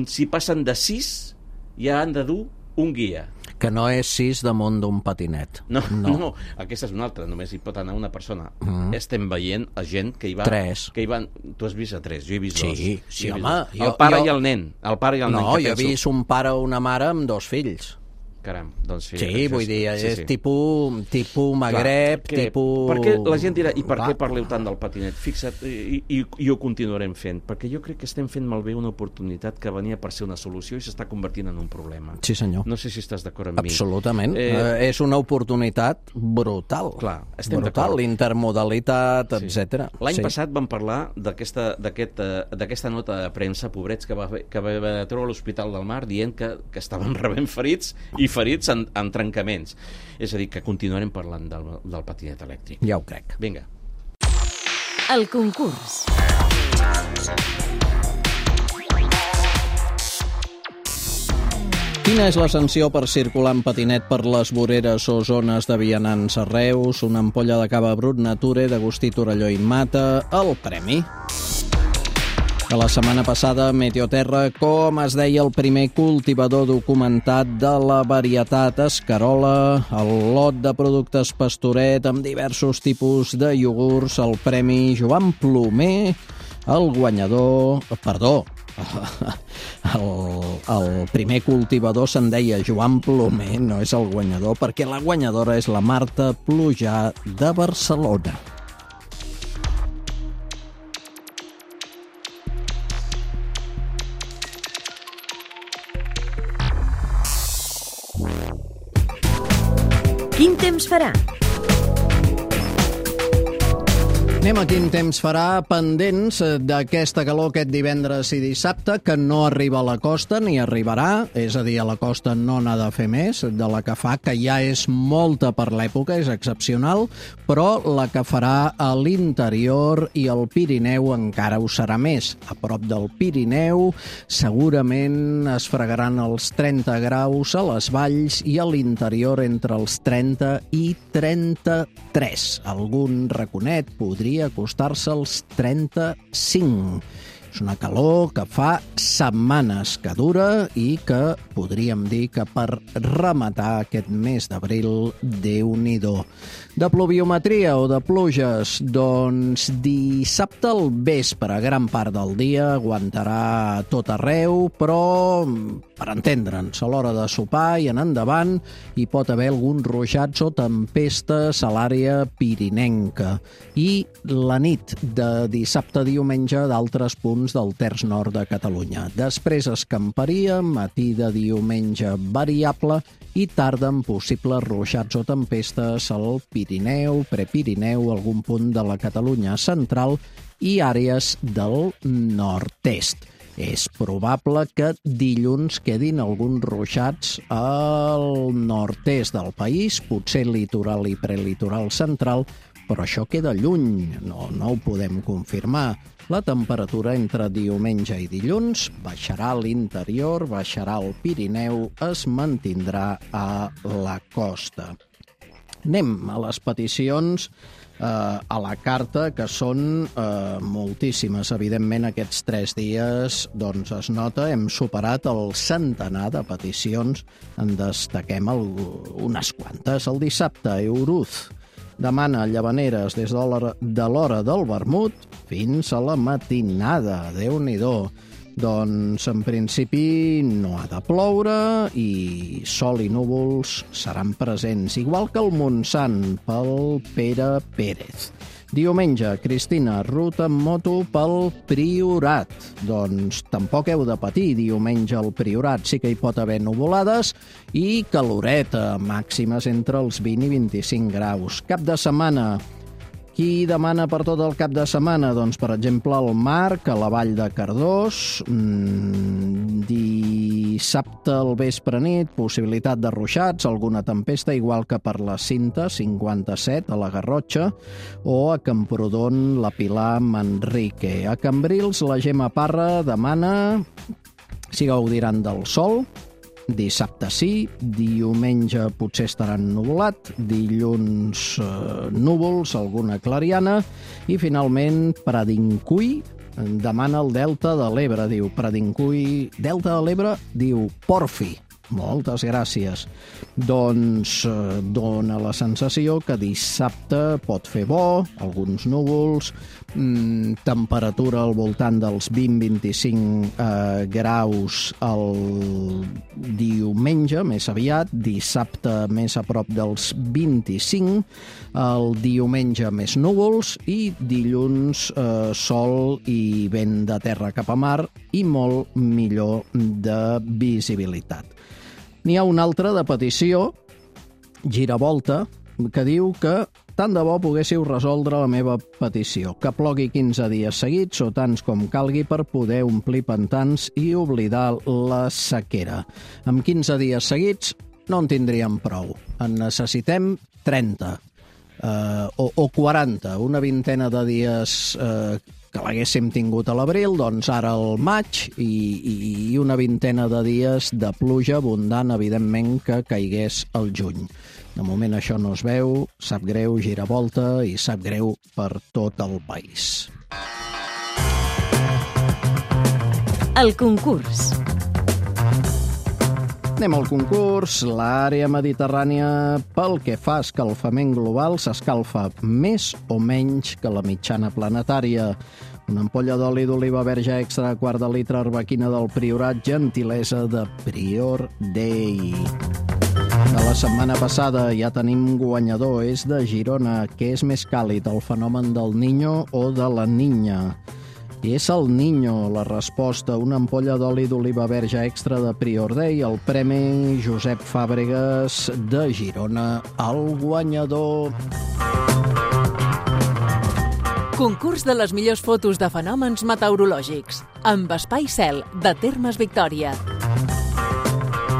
si passen de sis, ja han de dur un guia. Que no és sis damunt d'un patinet. No, no, no, aquesta és una altra, només hi pot anar una persona. Mm. Estem veient a gent que hi va... Tres. Que hi van... Tu has vist a tres, jo he vist sí, dos. Sí, sí, home. Jo, el pare jo... i el nen. El pare i el no, nen, jo he vist un pare o una mare amb dos fills. Caram, doncs sí. Sí, vull és, dir, sí, és sí. tipus, tipus Magreb, Clar, tipus... Per què la gent dirà, i per Clar. què parleu tant del patinet? Fixa't, i, i, i ho continuarem fent, perquè jo crec que estem fent malbé una oportunitat que venia per ser una solució i s'està convertint en un problema. Sí, senyor. No sé si estàs d'acord amb mi. Absolutament. Eh... Eh, és una oportunitat brutal. Clar, estem brutal, l'intermodalitat, sí. etcètera. L'any sí. passat vam parlar d'aquesta aquest, d'aquesta nota de premsa, pobrets, que va, que va haver de treure a l'Hospital del Mar dient que, que estaven rebent ferits i ferits en, en trencaments. És a dir, que continuarem parlant del, del patinet elèctric. Ja ho crec. Vinga. El concurs. Quina és la sanció per circular en patinet per les voreres o zones de vianants a Reus? Una ampolla de cava brut Nature d'Agustí Torelló i Mata. El premi. A la setmana passada, Meteoterra, com es deia el primer cultivador documentat de la varietat Escarola, el lot de productes Pastoret amb diversos tipus de iogurts, el premi Joan Plomer, el guanyador... Perdó, el, el primer cultivador se'n deia Joan Plomer, no és el guanyador, perquè la guanyadora és la Marta Plujà de Barcelona. Quin temps farà? Anem a quin temps farà, pendents d'aquesta calor aquest divendres i dissabte, que no arriba a la costa ni arribarà, és a dir, a la costa no n'ha de fer més, de la que fa, que ja és molta per l'època, és excepcional, però la que farà a l'interior i al Pirineu encara ho serà més. A prop del Pirineu segurament es fregaran els trenta graus a les valls i a l'interior entre els trenta i trenta-tres. Algun raconet podria acostar-se als trenta-cinc. És una calor que fa setmanes que dura i que podríem dir que per rematar aquest mes d'abril, Déu-n'hi-do. De pluviometria o de pluges, doncs dissabte al vespre, gran part del dia, aguantarà tot arreu, però per entendre'ns, a l'hora de sopar i en endavant hi pot haver alguns ruixats o tempestes a l'àrea pirinenca. I la nit de dissabte a diumenge d'altres punts del terç nord de Catalunya. Després escamparia, matí de diumenge variable i tarda amb possibles ruixats o tempestes al Pirineu, Prepirineu, algun punt de la Catalunya central i àrees del nord-est. És probable que dilluns quedin alguns ruixats al nord-est del país, potser litoral i prelitoral central, però això queda lluny, no, no ho podem confirmar. La temperatura entre diumenge i dilluns baixarà a l'interior, baixarà al Pirineu, es mantindrà a la costa. Anem a les peticions eh, a la carta, que són eh, moltíssimes. Evidentment, aquests tres dies doncs, es nota, hem superat el centenar de peticions, en destaquem el, unes quantes. El dissabte, Euruz demana llavaneres des de l'hora de l'hora del vermut fins a la matinada. Déu-n'hi-do. Doncs, en principi, no ha de ploure i sol i núvols seran presents, igual que el Montsant pel Pere Pérez. Diumenge, Cristina, ruta amb moto pel Priorat. Doncs tampoc heu de patir, diumenge al Priorat sí que hi pot haver nuvolades i caloreta, màximes entre els vint i vint-i-cinc graus. Cap de setmana, qui demana per tot el cap de setmana? Doncs, per exemple, el Marc, a la Vall de Cardós, mmm, dissabte al vespre nit, possibilitat de ruixats, alguna tempesta, igual que per la Cinta, cinquanta-set, a la Garrotxa, o a Camprodon, la Pilar, Manrique. A Cambrils, la Gemma Parra demana si gaudiran del sol. Dissabte sí, diumenge potser estaran nuvolat, dilluns eh, núvols, alguna clariana, i finalment Pradincuí demana el Delta de l'Ebre, diu Pradincuí, Delta de l'Ebre, diu Porfi, moltes gràcies. Doncs eh, dona la sensació que dissabte pot fer bo, alguns núvols, mm, temperatura al voltant dels vint a vint-i-cinc eh, graus el diumenge, més aviat, dissabte més a prop dels vint-i-cinc, el diumenge més núvols i dilluns eh, sol i vent de terra cap a mar i molt millor de visibilitat. N'hi ha una altra de petició, Giravolta, que diu que tant de bo poguéssiu resoldre la meva petició, que plogui quinze dies seguits o tants com calgui per poder omplir pantans i oblidar la sequera. Amb quinze dies seguits no en tindríem prou. En necessitem trenta eh, o, o quaranta, una vintena de dies eh, que l'haguéssim tingut a l'abril, doncs ara al maig, i, i una vintena de dies de pluja abundant, evidentment, que caigués al juny. De moment això no es veu, sap greu, Giravolta, i sap greu per tot el país. El concurs. Anem al concurs. L'àrea mediterrània, pel que fa a escalfament global, s'escalfa més o menys que la mitjana planetària. Una ampolla d'oli d'oliva verge extra, quart de litre, arbequina del Priorat, gentilesa de Prior Day. De la setmana passada ja tenim guanyador, és de Girona. Què és més càlid, el fenomen del Niño o de la Niña? És el Niño, la resposta, una ampolla d'oli d'oliva verge extra de Prior Day, el premi Josep Fàbregas de Girona, el guanyador. Concurs de les millors fotos de fenòmens meteorològics, amb Espai Cel, de Termes Victòria.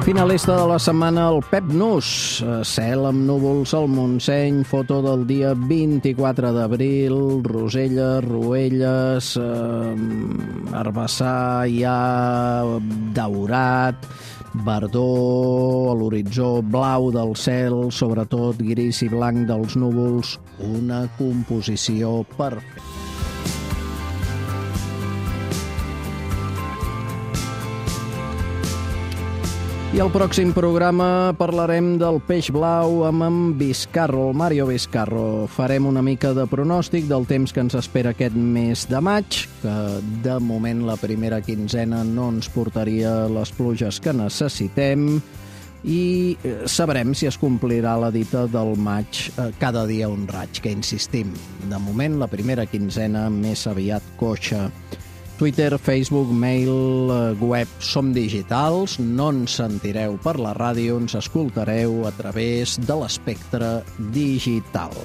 Finalista de la setmana, el Pep Nus. Cel amb núvols al Montseny, foto del dia vint-i-quatre d'abril, Rosella, Ruelles, eh, Herbassar, ja daurat, verdor, a l'horitzó blau del cel, sobretot gris i blanc dels núvols, una composició perfecta. I al pròxim programa parlarem del peix blau amb en Vizcarro, el Mario Vizcarro. Farem una mica de pronòstic del temps que ens espera aquest mes de maig, que de moment la primera quinzena no ens portaria les pluges que necessitem, i sabrem si es complirà la dita del maig, cada dia un raig, que insistim. De moment la primera quinzena més aviat coixa. Twitter, Facebook, mail, web, som digitals, no ens sentireu per la ràdio, ens escoltareu a través de l'espectre digital.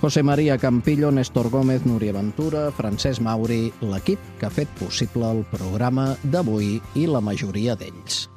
José María Campillo, Néstor Gómez, Núria Ventura, Francesc Mauri, l'equip que ha fet possible el programa d'avui i la majoria d'ells.